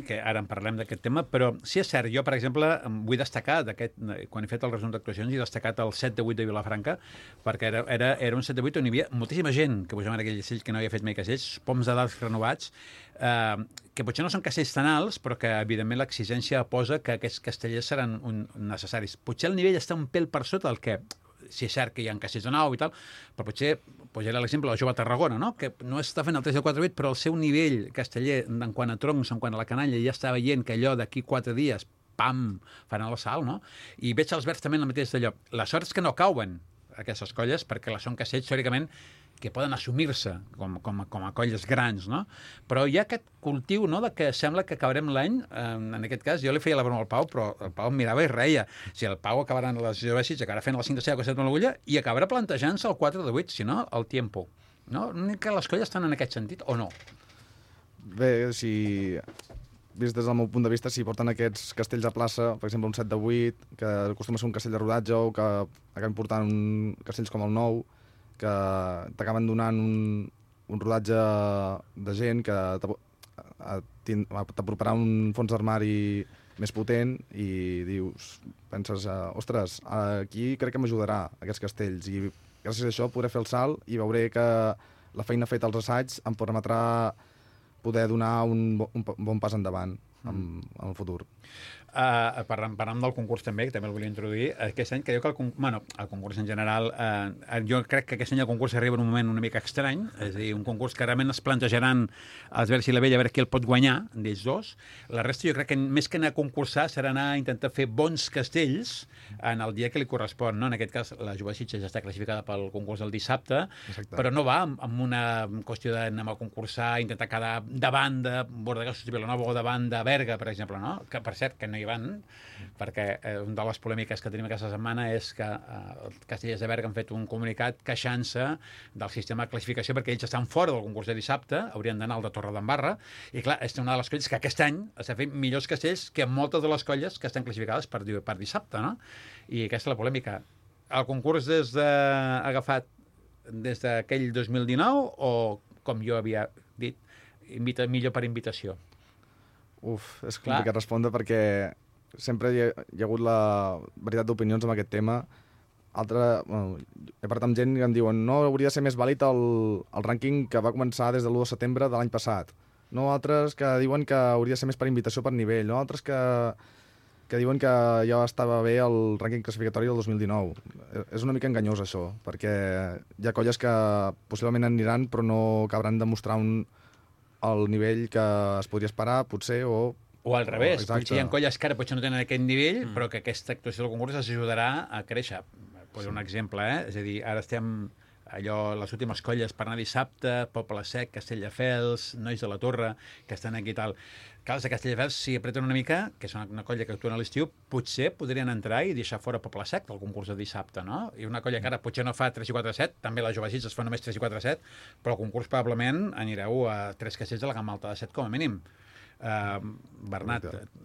Speaker 1: que ara en parlem d'aquest tema, però sí és cert, jo, per exemple, vull destacar, quan he fet el resum d'actuacions, he destacat el 7 de 8 de Vilafranca, perquè era un 7 de 8 on hi havia moltíssima gent que pujaven aquell castell que no havia fet mai castells, poms de dalt renovats, que potser no són castells tan alts, però que, evidentment, l'exigència posa que aquests castellers seran necessaris. Potser el nivell està un pèl per sota del que... Si és cert que hi ha castells de 9 i tal, però potser posaré l'exemple del Jove Tarragona, no? Que no està fent el 3 de 4 8, però el seu nivell casteller en quant a troncs, en quant a la canalla, ja està veient que allò d'aquí 4 dies, pam, faran el salt, no? I veig els verds també en el mateix d'allò. La sort és que no cauen aquestes colles, perquè són castells, teòricament, que poden assumir-se com a colles grans, no? Però hi ha aquest cultiu, no?, de que sembla que acabarem l'any, en aquest cas, jo li feia la broma al Pau, però el Pau em mirava i reia. Si el Pau acabarà en les Jovesics, acabarà fent el 5 de 7 o 7 amb l'agulla, i acabarà plantejant-se el 4 de 8, si no, el tiempo. No? Que les colles estan en aquest sentit, o no?
Speaker 8: Bé, si... vist des del meu punt de vista, si porten aquests castells a plaça, per exemple, un 7 de 8, que acostuma a ser un castell de rodatge, o que acaben portant castells com el 9, que t'acaben donant un rodatge de gent que t'aproparà un fons d'armari més potent, i penses, ostres, aquí crec que m'ajudarà aquests castells, i gràcies a això podré fer el salt i veuré que la feina feta als assaigs em permetrà poder donar un bon pas endavant en el futur.
Speaker 1: Parlant del concurs també, que també el volia introduir, aquest any creu que el concurs en general, jo crec que aquest any el concurs arriba en un moment una mica estrany, és a dir, un concurs que realment es plantejaran els Verds i la Vella a veure qui el pot guanyar d'ells dos. La resta jo crec que més que anar a concursar serà anar a intentar fer bons castells en el dia que li correspon, no? En aquest cas la Jove Sitges ja està classificada pel concurs del dissabte. Exacte. Però no va amb una qüestió d'anar a concursar, intentar quedar davant de Bordegassos i Vilanova o davant de Berga, per exemple, no? Que per cert que no hi van, perquè una de les polèmiques que tenim aquesta setmana és que els castellers de Berga han fet un comunicat queixant-se del sistema de classificació perquè ells estan fora del concurs de dissabte, haurien d'anar al de Torredembarra, i clar, és una de les colles que aquest any s'ha fet millors castells que moltes de les colles que estan classificades per dissabte, no? I aquesta és la polèmica. El concurs agafat des d'aquell 2019 o, com jo havia dit, millor per invitació?
Speaker 8: És complicat respondre perquè sempre hi ha hagut la varietat d'opinions amb aquest tema. He parlat amb gent que em diuen no hauria de ser més vàlid el rànquing que va començar des de l'1 de setembre de l'any passat. No, altres que diuen que hauria de ser més per invitació per nivell. No, altres que diuen que ja estava bé el rànquing classificatori del 2019. És una mica enganyós això, perquè hi ha colles que possiblement aniran però no acabaran de mostrar el nivell que es podria esperar, potser, o
Speaker 1: al revés, potser hi ha colles que ara potser no tenen aquest nivell, però que aquesta actuació del concurs els ajudarà a créixer. Poso un exemple, És a dir, ara estem allò, les últimes colles per anar dissabte, Poble Sec, Castelldefels, Nois de la Torre, que estan aquí i tal. Clar, els de Castelldefels, si apreten una mica, que és una colla que actua a l'estiu, potser podrien entrar i deixar fora Poble Sec del concurs de dissabte, no? I una colla que ara potser no fa 3 i 4 7, també la Jove Sitges fa només 3 i 4 7, però el concurs probablement anireu a 3 castells de la gamma alta de 7 com a mínim. Bernat,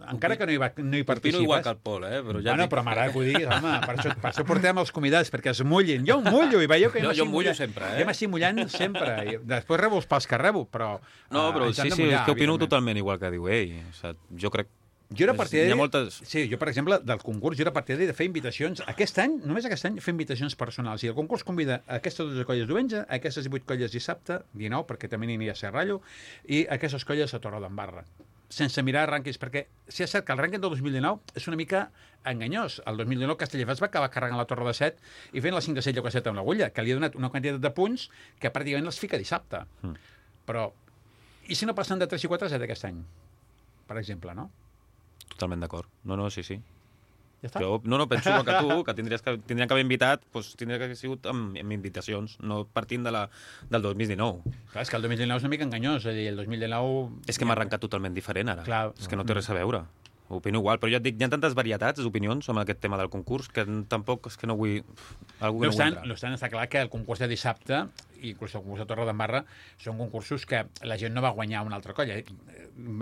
Speaker 1: encara que no hi participes...
Speaker 6: Opino igual que el Pol, però ja...
Speaker 1: Bueno, però m'agrada que ho diguis, home, per això portem els convidats, perquè es mullin. Jo em mullo, i veieu que
Speaker 6: jo mullo sempre,
Speaker 1: Jo m'estic mullant sempre. I després rebo els pals que rebo, però...
Speaker 6: No, però sí, és que opino totalment igual que diu ell. O sigui, jo crec...
Speaker 1: Jo era partidari...
Speaker 6: Hi ha moltes...
Speaker 1: Sí, jo, per exemple, del concurs, jo era partidari de fer invitacions. Aquest any, només aquest any, fer invitacions personals. I el concurs convida a aquestes 12 colles diumenge, a aquestes 18 colles dissabte, 19, perquè també n'hi ha a Serrallo, i a aquestes colles a Torredembarra, sense mirar rànquings, perquè sí és cert que el rànquing del 2019 és una mica enganyós. El 2019 Castelldefels va acabar carregant la Torre de 7 i fent la 5 de 7 lloc a 7 amb l'agulla, que li ha donat una quantitat de punts que pràcticament els fica dissabte. Però, i si no passen de 3 i 4 7 aquest any? Per exemple, no?
Speaker 6: Totalment d'acord. No, sí.
Speaker 1: Ja està?
Speaker 6: Jo penso igual que tu, que tindrien que haver invitat, doncs tindria que haver sigut amb invitacions, no partint del 2019.
Speaker 1: Clar, és que el 2019 és una mica enganyós, és a dir, el 2019...
Speaker 6: És que m'ha arrencat totalment diferent, ara.
Speaker 1: Clar.
Speaker 6: És que no té res a veure. Opino igual, però ja et dic, hi ha tantes varietats d'opinions sobre aquest tema del concurs que tampoc és que no vull...
Speaker 1: No obstant, està clar que el concurs de dissabte, i inclús el concurs de Torredembarra, són concursos que la gent no va guanyar una altra colla.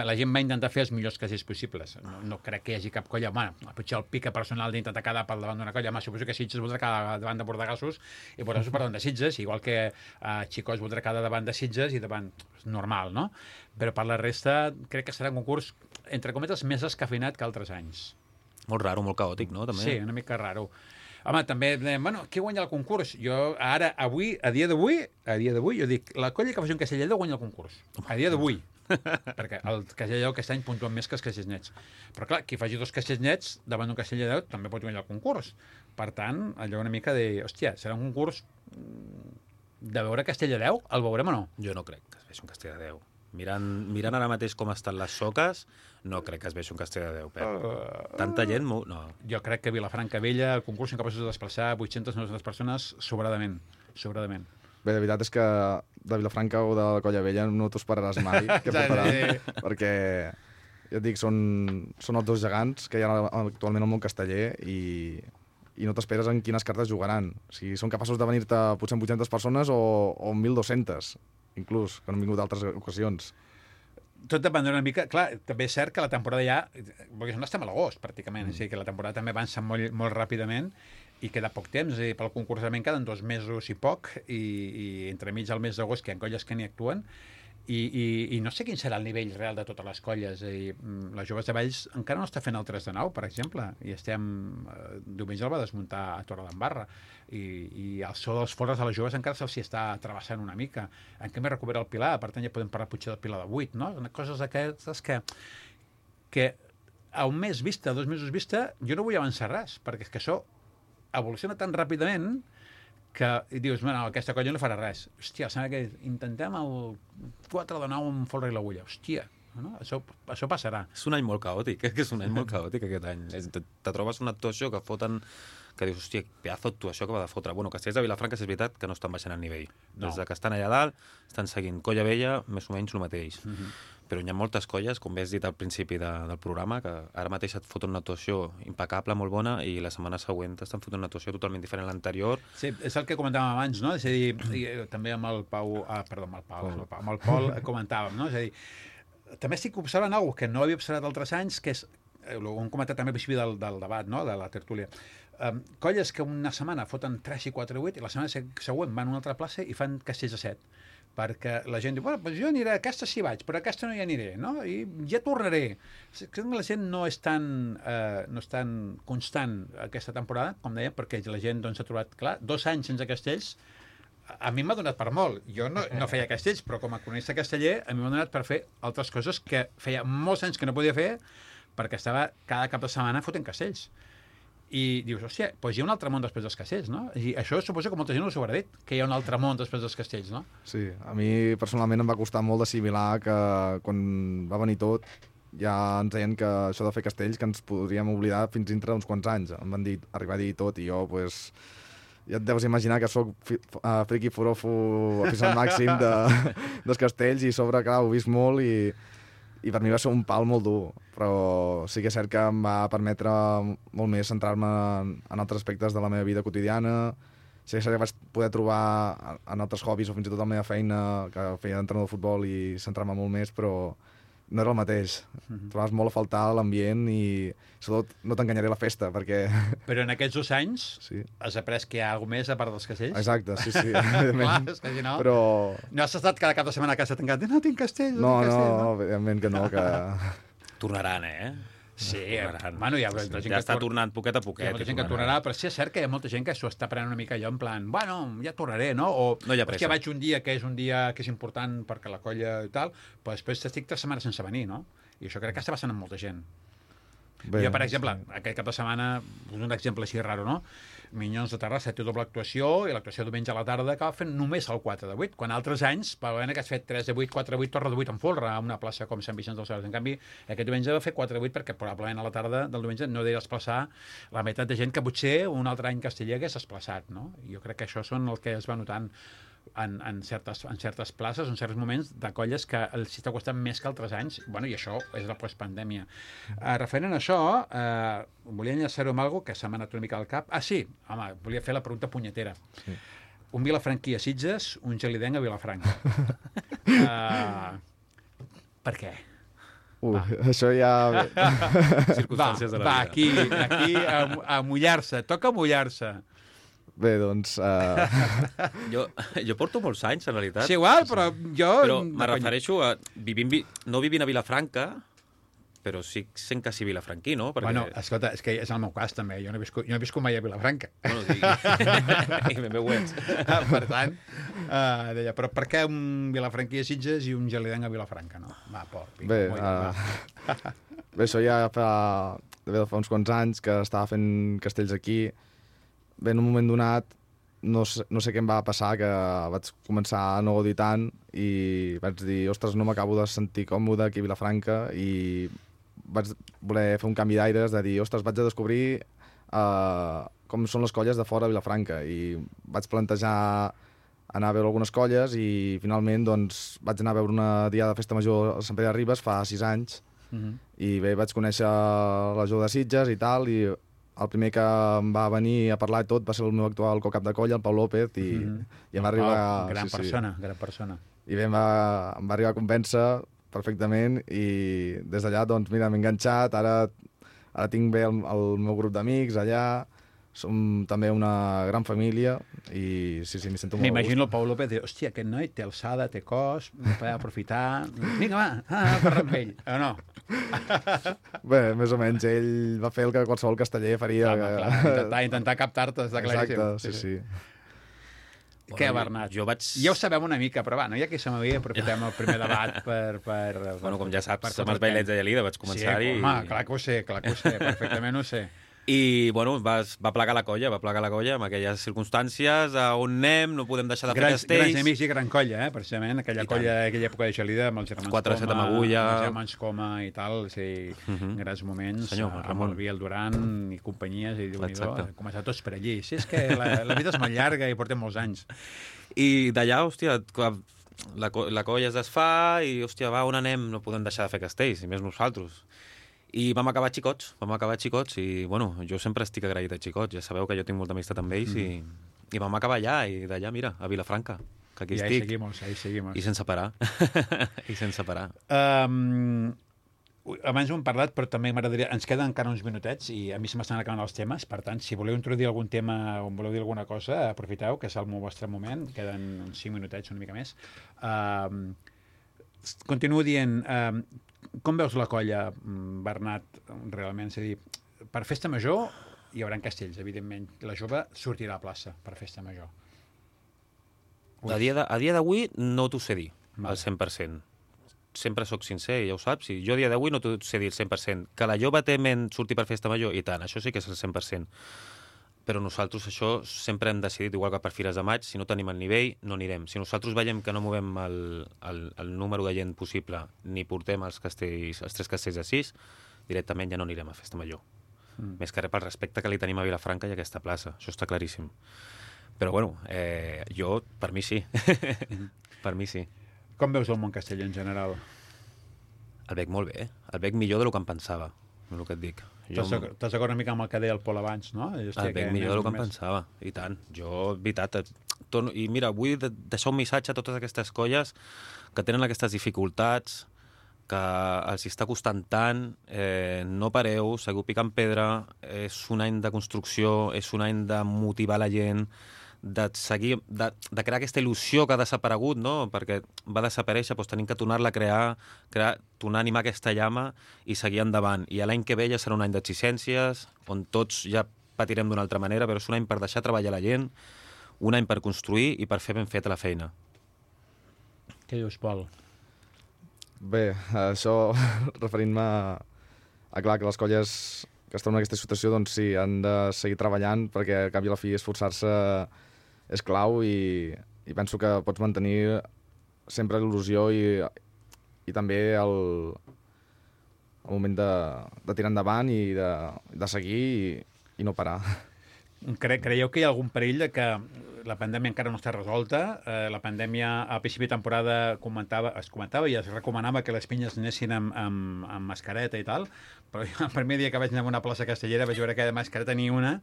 Speaker 1: La gent va intentar fer els millors casells possibles. No crec que hi hagi cap colla. Potser el pica personal d'intentar quedar pel davant d'una colla. Suposo que Sitges voldrà quedar davant de Bordegassos i Bordegassos per davant de Sitges, igual que Xicós voldrà quedar davant de Sitges i davant... normal, no? Però per la resta crec que serà un concurs, entre cometes, més escafeinat que altres anys.
Speaker 6: Molt raro, molt caòtic, no? També.
Speaker 1: Sí, una mica raro. Home, també, qui guanya el concurs? Jo, ara, avui, a dia d'avui, jo dic, la colla que faci un castell de guanya el concurs. A dia d'avui. Perquè el castell aquest any puntuen més que els castells nets. Però clar, qui faci 2 castells nets davant d'un castell de 10 també pot guanyar el concurs. Per tant, allò una mica de... Hòstia, serà un concurs de veure castell de 10? El veurem o no?
Speaker 6: Jo no crec que es vegi un castell de 10. Mirant ara mateix com estan les soques, no crec que es vegi un castell de 10, Pep. Tanta gent... No.
Speaker 1: Jo crec que Vilafranca Vella, el concurs, són capaços de desplaçar 800-900 persones sobradament.
Speaker 8: Bé, la veritat és que de Vilafranca o de la Colla Vella no t'ho esperaràs mai què portaran, perquè ja et dic, són els 2 gegants que hi ha actualment al món casteller i no t'esperes en quines cartes jugaran. O sigui, són capaços de venir-te potser amb 800 persones o 1.200, inclús, que no han vingut d'altres ocasions.
Speaker 1: Tot dependrà una mica... Clar, també és cert que la temporada ja... Perquè no estem a l'agost, pràcticament. O sigui, que la temporada també avança molt, molt ràpidament i queda poc temps. És a dir, pel concursament queden 2 mesos i poc i entremig al mes d'agost que hi ha colles que n'hi actuen i no sé quin serà el nivell real de totes les colles. És a dir, les Joves de Valls encara no està fent el 3 de 9, per exemple, i estem... Diumenge el va desmuntar a Torredembarra i el so dels forres de les Joves encara se'ls està travessant una mica. En canvi recupera el Pilar, per tant ja podem parlar potser del Pilar de 8, no? Coses d'aquestes que a un mes vista, a 2 mesos vista, jo no vull avançar res, perquè és que això evoluciona tan ràpidament que dius, bueno, aquesta colla no farà res. Hòstia, sembla que intentem el 4 de 9 amb folre i l'agulla. Hòstia, no? Això passarà.
Speaker 6: És un any molt caòtic, és un any molt caòtic aquest any. Te trobes una actuació que foten que dius, hòstia, pedazo d'actuació que va de fotre. Bueno, Castells de Vilafranca és veritat que no estan baixant el nivell. No. Des que estan allà dalt, estan seguint Colla Vella, més o menys el mateix. Però hi ha moltes colles, com bé has dit al principi del programa, que ara mateix et foten una actuació impecable, molt bona, i la setmana següent estan fotent una actuació totalment diferent a l'anterior.
Speaker 1: Sí, és el que comentàvem abans, no? És a dir, també amb el Pau... amb el Pol comentàvem, no? És a dir, també estic observant alguna cosa que no havia observat altres anys, que és, ho hem comentat també al principi del debat, no? De la tertúlia. Colles que una setmana foten 3 i 4 i 8 i la setmana següent van a una altra plaça i fan castells a 7. Perquè la gent diu, bueno, doncs jo aniré a aquesta sí vaig, però a aquesta no hi aniré, no? I ja tornaré. Crec que la gent no és tan constant aquesta temporada, com dèiem, perquè la gent doncs, s'ha trobat, clar, 2 anys sense castells, a mi m'ha donat per molt. Jo no feia castells, però com a cronista casteller, a mi m'ha donat per fer altres coses que feia molts anys que no podia fer perquè estava cada cap de setmana fotent castells. I dius, hòstia, doncs hi ha un altre món després dels castells, no? I això suposo que molta gent us ho haurà dit, que hi ha un altre món després dels castells, no?
Speaker 8: Sí, a mi personalment em va costar molt d'assimilar que quan va venir tot ja ens deien que això de fer castells que ens podríem oblidar fins dintre d'uns quants anys. Em van dir, arribar a dir tot i jo, pues, ja et deus imaginar que soc friqui forofo aficionat màxim dels castells, i a sobre, clar, ho he vist molt i per mi va ser un pal molt dur, però sí que és cert que em va permetre molt més centrar-me en altres aspectes de la meva vida quotidiana. Sí que és cert que vaig poder trobar en altres hobbies o fins i tot la meva feina, que feia d'entrenador de futbol, i centrar-me molt més, però no era el mateix. Trobaves molt a faltar l'ambient i, sobretot, no t'enganyaré, la festa, perquè...
Speaker 1: Però en aquests 2 anys
Speaker 8: Sí.
Speaker 1: has après que hi ha alguna més a part dels castells?
Speaker 8: Exacte, sí, evidentment.
Speaker 1: Clar, és que si no...
Speaker 8: Però...
Speaker 1: No has estat cada cap de setmana a casa tancat? No, tinc castells,
Speaker 8: No,
Speaker 1: tinc castells,
Speaker 8: no, evidentment que no, que...
Speaker 7: Tornaran,
Speaker 1: Sí,
Speaker 7: Tornaran.
Speaker 1: bueno, hi ha gent
Speaker 7: Ja
Speaker 1: que
Speaker 7: està tornant poquet a
Speaker 1: hi ha
Speaker 7: poquet.
Speaker 1: molta gent que tornarà, però sí és cert que hi ha molta gent que s'ho està prenent una mica allò en plan, bueno, ja tornaré, no? O,
Speaker 7: No hi ha pressa.
Speaker 1: hòstia, vaig un dia que és un dia que és important perquè la colla i tal, però després estic 3 setmanes sense venir, no? I això crec que està passant amb molta gent.
Speaker 8: Bé,
Speaker 1: Jo, per exemple, aquest cap de setmana, un exemple així raro, no? Minyons de Terrassa té doble actuació, i l'actuació diumenge a la tarda acaba fent només el 4 de 8, quan altres anys, probablement que has fet 3 de 8, 4 de 8, torre de 8 en folre, a una plaça com Sant Vicenç dels Horts. En canvi, aquest diumenge va fer 4 de 8 perquè probablement a la tarda del diumenge no deia desplaçar la meitat de gent que potser un altre any Casteller hagués desplaçat, no? Jo crec que això són el que es va notant en certes places, en certs moments de colles que els està costant més que altres anys, bueno, i això és la postpandèmia. Referent a això, volia enllaçar-ho amb alguna que se m'ha anat una mica al cap. Ah, sí, home, volia fer la pregunta punyetera. Sí. Un vilafranquí a Sitges, un gelidenc a Vilafranca. Per què?
Speaker 8: Això ja...
Speaker 7: Circumstàncies de la vida.
Speaker 1: Aquí a mullar-se, toca mullar-se.
Speaker 8: Bé, doncs...
Speaker 7: Jo porto molts anys, en realitat.
Speaker 1: Sí, igual, però jo...
Speaker 7: Però me refereixo a... no vivint a Vilafranca, però sí sent quasi vilafranquí, no? Perquè...
Speaker 1: Bueno, escolta, és que és el meu cas, també. Jo no he viscut mai a Vilafranca.
Speaker 7: Bueno, sí. I ben bé ho ets.
Speaker 1: Per tant, deia, però per què un vilafranquí a Sitges i un gelidenc a Vilafranca, no? Va,
Speaker 8: Bé, bé, això ja fa uns quants anys que estava fent castells aquí. Bé, en un moment donat, no sé què em va passar, que vaig començar a no gaudir tant i vaig dir, ostres, no m'acabo de sentir còmode aquí a Vilafranca, i vaig voler fer un canvi d'aires, de dir, ostres, vaig a descobrir com són les colles de fora de Vilafranca, i vaig plantejar anar a veure algunes colles i finalment doncs, vaig anar a veure una diada de festa major a Sant Pere de Ribes fa 6 anys i bé, vaig conèixer la Jove de Sitges i tal, i el primer que em va venir a parlar i tot va ser el meu actual co-cap de colla, el Pau López, i em va arribar...
Speaker 1: Gran persona, gran persona.
Speaker 8: I bé, em va arribar a convèncer perfectament, i des d'allà, doncs, mira, m'he enganxat, ara tinc bé el meu grup d'amics allà, som també una gran família, i sí, m'hi sento molt a gust.
Speaker 1: M'imagino el Pau López de, hòstia, aquest noi té alçada, té cos, podem aprofitar... Vinga, va, parla amb ell, o no?
Speaker 8: Bé, més o menys, ell va fer el que qualsevol casteller faria.
Speaker 1: Clar, intentar captar-te, està claríssim.
Speaker 8: Exacte, sí.
Speaker 1: Què, Bernat? Ja ho sabem una mica, però va, no hi ha qui se m'havia, aprofitem el primer debat per
Speaker 7: bueno, com ja saps, amb els bailets de Lleida vaig començar-hi...
Speaker 1: Sí, home, clar que ho sé, perfectament ho sé.
Speaker 7: I, bueno, va plegar la colla amb aquelles circumstàncies, a on anem, no podem deixar de fer castells...
Speaker 1: Grans amics i gran colla, precisament, aquella colla d'aquella època de Gelida, amb els germans
Speaker 7: 4-7 amb Agulla...
Speaker 1: els germans Coma i tal, sí, grans moments,
Speaker 7: senyor,
Speaker 1: amb el Biel Duran i companyies, i Déu-n'hi-do, començar tots per allí. Sí, és que la vida és molt llarga i portem molts anys.
Speaker 7: I d'allà, hòstia, la colla es desfà i, hòstia, va, on anem? No podem deixar de fer castells, i més nosaltres. I vam acabar xicots, i, bueno, jo sempre estic agraït a xicots, ja sabeu que jo tinc molta amistat amb ells, i vam acabar allà, i d'allà, mira, a Vilafranca, que aquí estic.
Speaker 1: Ahí seguimos.
Speaker 7: I sense parar. I sense parar.
Speaker 1: Abans ho hem parlat, però també m'agradaria... Ens queden encara uns minutets i a mi se m'estan acabant els temes, per tant, si voleu introduir algun tema o voleu dir alguna cosa, aprofiteu, que és el vostre moment, queden uns 5 minutets, una mica més. Continuo dient... Com veus la colla, Bernat, realment? És a dir, per festa major hi haurà castells, evidentment. La jove sortirà a plaça per festa major.
Speaker 7: A dia d'avui no t'ho sé dir, al 100%. Sempre sóc sincer, ja ho saps. Jo a dia d'avui no t'ho sé dir al 100%. Que la jove té ment sortir per festa major, i tant, això sí que és el 100%. Però nosaltres això sempre hem decidit, igual que per Fires de Maig, si no tenim el nivell, no anirem. Si nosaltres veiem que no movem el número de gent possible, ni portem els 3 castells de 6, directament ja no anirem a Festa Major. Més que res pel respecte que li tenim a Vilafranca i a aquesta plaça. Això està claríssim.
Speaker 6: Però, bueno, jo, per mi sí. Per mi sí.
Speaker 1: Com veus el món casteller en general?
Speaker 6: El veig molt bé. El veig millor del que em pensava, és el que et dic.
Speaker 1: T'has d'acord una mica amb el que deia el Pol abans, no?
Speaker 6: El veig millor del que em pensava, i tant. Jo, veritat, i mira, vull deixar un missatge a totes aquestes colles que tenen aquestes dificultats, que els està costant tant, no pareu, seguiu picant pedra, és un any de construcció, és un any de motivar la gent, de seguir, de crear aquesta il·lusió que ha desaparegut, no? Perquè va desaparèixer, doncs tenim que tornar-la a crear, tornar a animar aquesta llama i seguir endavant. I l'any que ve ja serà un any d'exigències, on tots ja patirem d'una altra manera, però és un any per deixar treballar la gent, un any per construir i per fer ben feta la feina.
Speaker 1: Què dius, Pol?
Speaker 8: Bé, això, referint-me a clar que les colles que estan en aquesta situació, doncs sí, han de seguir treballant perquè al cap i a la fi esforçar-se és clau i penso que pots mantenir sempre l'il·lusió i també el moment de tirar endavant i de seguir i no parar.
Speaker 1: Creieu que hi ha algun perill de que la pandèmia encara no està resolta? La pandèmia al principi de temporada es comentava i es recomanava que les pinyes anessin amb mascareta i tal, però jo el primer dia que vaig anar a una plaça castellera vaig veure que de mascareta ni una,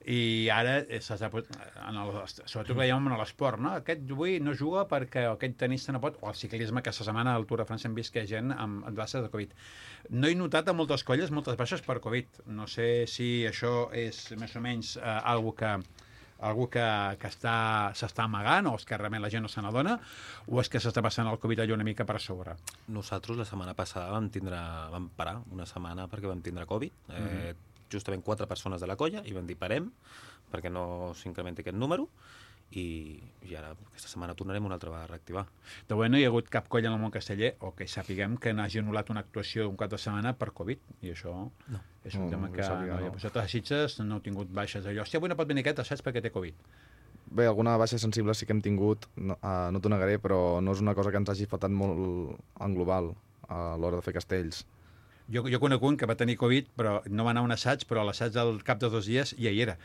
Speaker 1: i ara, sobretot veiem en l'esport, no? Aquest avui no juga perquè aquest tenista no pot, o el ciclisme, aquesta setmana al Tour de França hem vist que hi ha gent amb baixes de Covid. No he notat a moltes colles moltes baixes per Covid. No sé si això és més o menys algo que s'està amagant, o és que realment la gent no se n'adona, o és que s'està passant el Covid allò una mica per sobre?
Speaker 6: Nosaltres la setmana passada vam parar una setmana perquè vam tindre Covid, justament 4 persones de la colla, i vam dir parem, perquè no s'incrementi aquest número, i ara aquesta setmana tornarem una altra vegada a reactivar.
Speaker 1: De moment no hi ha hagut cap colla en el món casteller, o que sapiguem que n'hagi anul·lat una actuació un cap de setmana per Covid, i això és un tema que no hi ha posat a les Sitges, no heu tingut baixes d'allò. Hòstia, avui no pot venir aquest assaig perquè té Covid.
Speaker 8: Bé, alguna baixa sensible sí que hem tingut, no t'ho negaré, però no és una cosa que ens hagi faltat molt en global a l'hora de fer castells.
Speaker 1: Jo conec un que va tenir Covid, però no va anar a un assaig, però a l'assaig del cap de 2 dies ja hi era.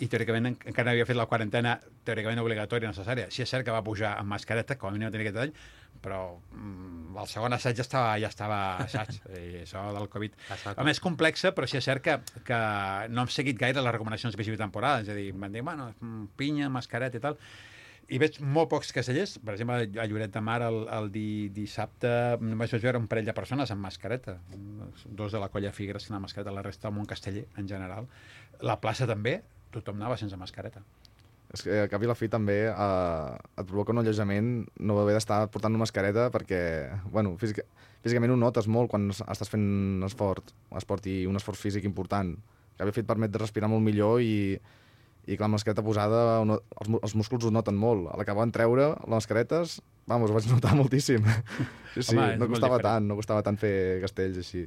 Speaker 1: I teòricament encara no havia fet la quarantena teòricament obligatòria necessària. Sí, és cert que va pujar amb mascareta, com a mínim no tenia aquest detall, però el segon assaig ja estava assaig, i això del Covid. A més, complexa, però sí és cert que no hem seguit gaire les recomanacions de principi de temporada, és a dir, van dir, bueno, pinya, mascareta i tal, i veig molt pocs castellers. Per exemple, a Lloret de Mar el dissabte només vaig veure un parell de persones amb mascareta, 2 de la colla Figueres que anaven amb mascareta, la resta del món casteller en general. La plaça també, tothom anava sense mascareta.
Speaker 8: És que al cap i la fi també et provoca un alleujament no haver d'estar portant una mascareta perquè, bueno, físicament ho notes molt quan estàs fent esport i un esforç físic important. Al cap i la fi et permet de respirar molt millor i clar, amb la mascareta posada els músculs ho noten molt. A l'acabar de treure les mascaretes, ho vaig notar moltíssim. Sí, home, no costava tant fer castells així.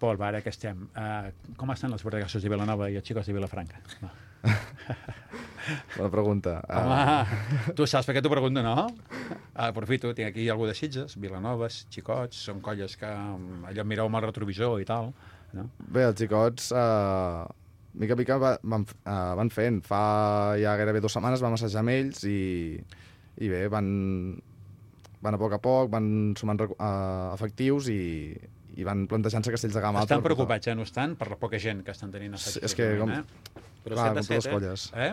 Speaker 1: Pol, ara que estem, com estan els bordegassos de Vilanova i els xicos de Vilafranca?
Speaker 8: Bona pregunta.
Speaker 1: Home, tu saps per què t'ho pregunto, no? Aprofito, tinc aquí algú de Sitges, Vilanoves, xicots, són colles que allò mireu amb el retrovisor i tal, no?
Speaker 8: Bé, els xicots mica a mica van fent. Fa ja gairebé 2 setmanes vam assajar amb ells i bé, van a poc, van sumant efectius i van plantejant-se castells de gamma alta.
Speaker 1: Estan preocupats, no estan? Per la poca gent que estan tenint assajos.
Speaker 8: És que
Speaker 6: Però 7 de 7,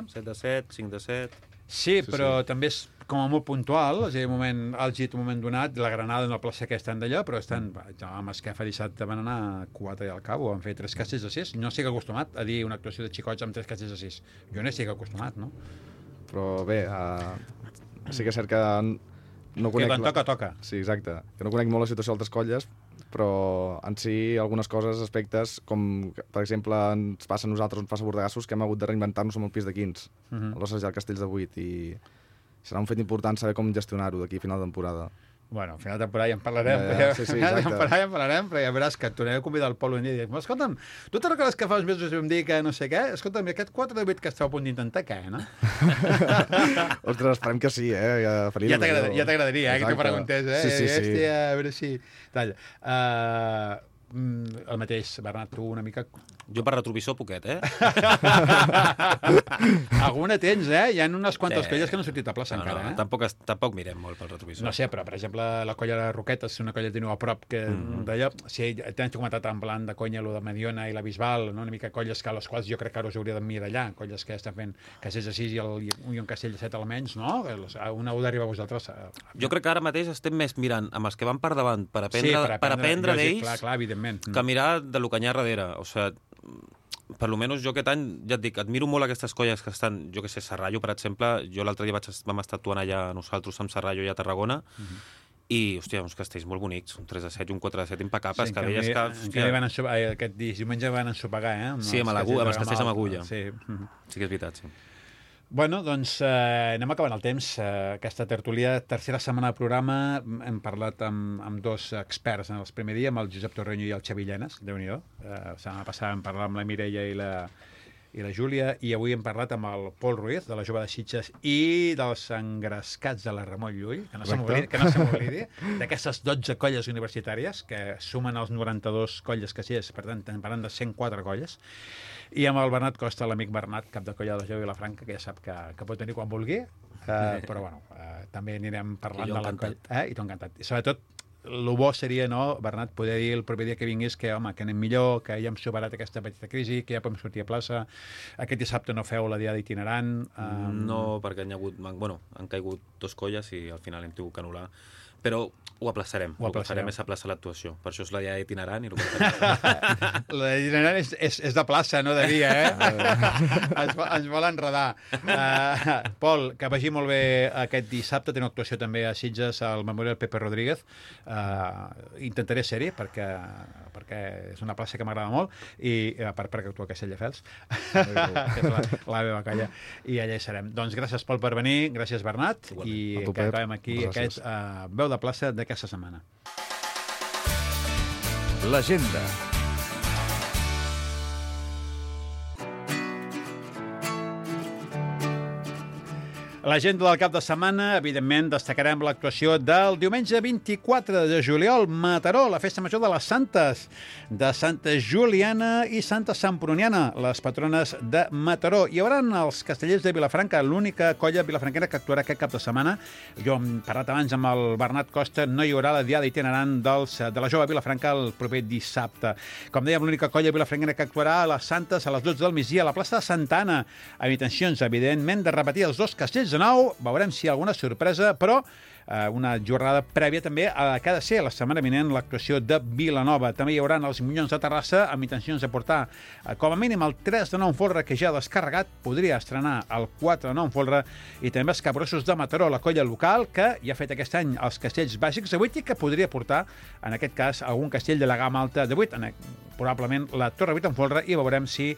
Speaker 6: 7 de 7, 5 de 7...
Speaker 1: Sí, però també és com a molt puntual, és a dir, un moment àlgid, un moment donat, la Granada no plaça que estan d'allò, però estan, amb Esquefa dissabte van anar 4 i al cabo, van fer 3 castells de 6. No estic acostumat a dir una actuació de xicots amb 3 castells de 6. Jo no estic acostumat, no?
Speaker 8: Però bé, sí que és cert que no conec...
Speaker 1: Que quan toca.
Speaker 8: Sí, exacte. Que no conec molt la situació d'altres colles, però en si algunes coses, aspectes, com per exemple ens passa a nosaltres, ens passa a Bordegassos, que hem hagut de reinventar-nos amb el pis de 15, a l'assajar castells de 8, i serà un fet important saber com gestionar-ho d'aquí a final de temporada.
Speaker 1: Bueno, al final de temporada ja en parlarem.
Speaker 8: Sí, exacte.
Speaker 1: Ja en parlarem, però ja veuràs que et tornaré a convidar el Pol un dia i dir, escolta'm, tu te'n recordes que fa uns mesos vam dir que no sé què? Escolta'm, aquest 4 de 8 que esteu a punt d'intentar, què, no?
Speaker 8: Ostres, esperem que sí,
Speaker 1: Ja t'agradaria, que t'ho preguntés,
Speaker 8: Sí.
Speaker 1: Hòstia, a veure si... Talla. El mateix, Bernat, tu una mica
Speaker 6: Jo per retrovisor poquet,
Speaker 1: Alguna tens, Hi ha unes quantes colles que no han sortit a plaça encara,
Speaker 6: Tampoc mirem molt pel retrovisor.
Speaker 1: No sé, però, per exemple, la colla de Roquetes, una colla que teniu a prop, que d'allò, sí, t'han comentat en plan de conya, lo de Mediona i la Bisbal, no? Una mica colles que a les quals jo crec que ara us hauria d'emmirallar, colles que estan fent castells de 6 i un castell de 7 almenys, no? Una heu d'arribar a vosaltres.
Speaker 6: Jo crec que ara mateix estem més mirant amb els que van per davant per aprendre d'ells
Speaker 1: clar, evidentment.
Speaker 6: Que mirar de lo que hi ha darrere. O sigui, per almenys jo aquest any, ja et dic, admiro molt aquestes colles que estan, jo que sé, Serrallo, per exemple, jo l'altre dia vam estar actuant allà nosaltres amb Serrallo i a Tarragona, i, hòstia, uns castells molt bonics, un 3-7 i un 4-7 impecables, que veies que...
Speaker 1: Aquest diumenge van ensopegar,
Speaker 6: Sí, amb els castells amb agulla.
Speaker 1: Sí,
Speaker 6: que és veritat, sí.
Speaker 1: Bueno, doncs anem acabant el temps. Aquesta tertúlia, tercera setmana de programa, hem parlat amb dos experts en el primer dia, amb el Josep Torreño i el Xavi Llenes, Déu-n'hi-do. La setmana passada vam parlar amb la Mireia i la Júlia, i avui hem parlat amb el Pol Ruiz, de la Jove de Sitges, i dels engrescats de la Ramon Llull, que no se m'oblidi, d'aquestes 12 colles universitàries, que sumen els 92 colles que sí és, per tant, parlant de 104 colles, i amb el Bernat Costa, l'amic Bernat, cap de colla de la Jove Vilafranca, que ja sap que pot venir quan vulgui, però bueno, també anirem parlant de la colla. I t'ho encantat. I sobretot, el bo seria, no, Bernat, poder dir el proper dia que vinguis que, home, que anem millor, que ja hem superat aquesta petita crisi, que ja podem sortir a plaça. Aquest dissabte no feu la diada itinerant.
Speaker 6: No, perquè han caigut 2 colles i al final hem tingut que anul·lar. Però ho aplaçarem. Ho aplaçarem és a plaça l'actuació. Per això és la diada itinerant.
Speaker 1: La itinerant és de plaça, no de dia, Ens vol enredar. Pol, que vagi molt bé aquest dissabte. Teniu actuació també a Sitges, al Memorial Pepe Rodríguez. Intentaré ser-hi, perquè és una plaça que m'agrada molt, i a part perquè actua a Castelldefels, que és la meva colla, i allà hi serem. Doncs gràcies, Pol, per venir. Gràcies, Bernat. I que acabem aquí aquest veu de plaça d'aquesta setmana.
Speaker 2: L'agenda.
Speaker 1: L'agenda del cap de setmana, evidentment, destacarem l'actuació del diumenge 24 de juliol, Mataró, la festa major de les Santes, de Santa Juliana i Santa Semproniana, les patrones de Mataró. Hi haurà els castellers de Vilafranca, l'única colla vilafranquera que actuarà aquest cap de setmana. Jo hem parlat abans amb el Bernat Costa, no hi haurà la diada itinerant de la Jove Vilafranca el proper dissabte. Com dèiem, l'única colla vilafranquera que actuarà a les Santes a les 12 del migdia a la plaça de Santa Anna, amb intencions, evidentment, de repetir els 2 castells de nou. Veurem si hi ha alguna sorpresa, però una jornada prèvia també a que ha de ser la setmana vinent l'actuació de Vilanova. També hi haurà els Minyons de Terrassa amb intencions de portar com a mínim el 3 de 9 folre que ja ha descarregat, podria estrenar el 4 de 9 folre, i també els Capgrossos de Mataró, la colla local que ja ha fet aquest any els castells bàsics de 8 i que podria portar, en aquest cas, algun castell de la gamma alta de 8, probablement la Torre 8 en folre, i veurem si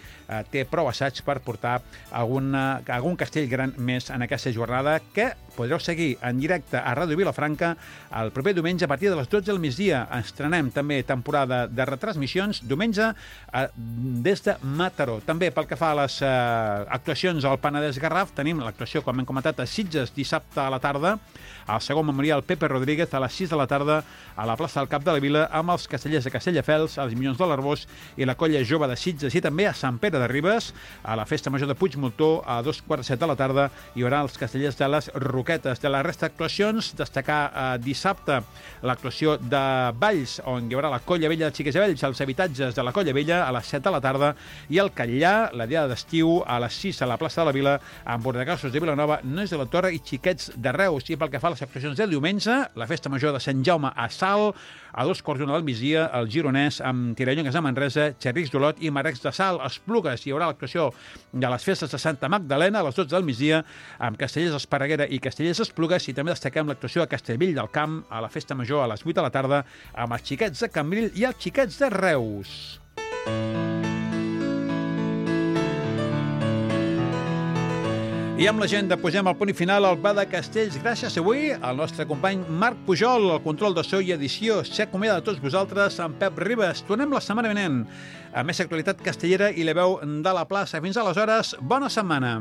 Speaker 1: té prou assaig per portar algun castell gran més en aquesta jornada, que podreu seguir en directe a Ràdio Vilafranca el proper diumenge a partir de les 12 del migdia. Estrenem també temporada de retransmissions diumenge des de Mataró. També pel que fa a les actuacions al Penedès Garraf, tenim l'actuació, com hem comentat, a Sitges dissabte a la tarda, al segon memorial Pepe Rodríguez a les 6 de la tarda a la plaça del Cap de la Vila amb els castellers de Castelldefels, els Minyons de l'Arbós i la colla jove de Sitges, i també a Sant Pere de Ribes a la festa major de Puigmoltó a 2:45 de la tarda hi haurà els castellers de les Roquetes. De la resta d'actuacions, destacar dissabte l'actuació de Valls, on hi haurà la Colla Vella de Xiques i Vells, els habitatges de la Colla Vella a les 7 de la tarda, i el Catllà, la diada d'estiu, a les 6 a la plaça de la Vila, amb Bordegassos de Vilanova, Nois de la Torre i Xiquets de Reus. I pel que fa a les actuacions del diumenge, la festa major de Sant Jaume a Salt, a 2:15 del migdia, el Gironès amb Tirallongues de Manresa, Xerrics d'Olot i Marecs de Salt. A Esplugues hi haurà l'actuació de les festes de Santa Magdalena a les 12 del migdia, amb Castellers d'Esparreguera i Castellers d'Esplugues, i també destaquem l'actuació a Castellvell del Camp a la festa major a les 8 de la tarda amb els Xiquets de Cambril i els Xiquets de Reus. I amb l'agenda posem el punt i final al Pla de Castells. Gràcies avui al nostre company Marc Pujol, el control de so i edició. S'acomiada de tots vosaltres amb Pep Ribes. Tornem la setmana vinent a més actualitat castellera i la veu de la plaça. Fins aleshores, bona setmana.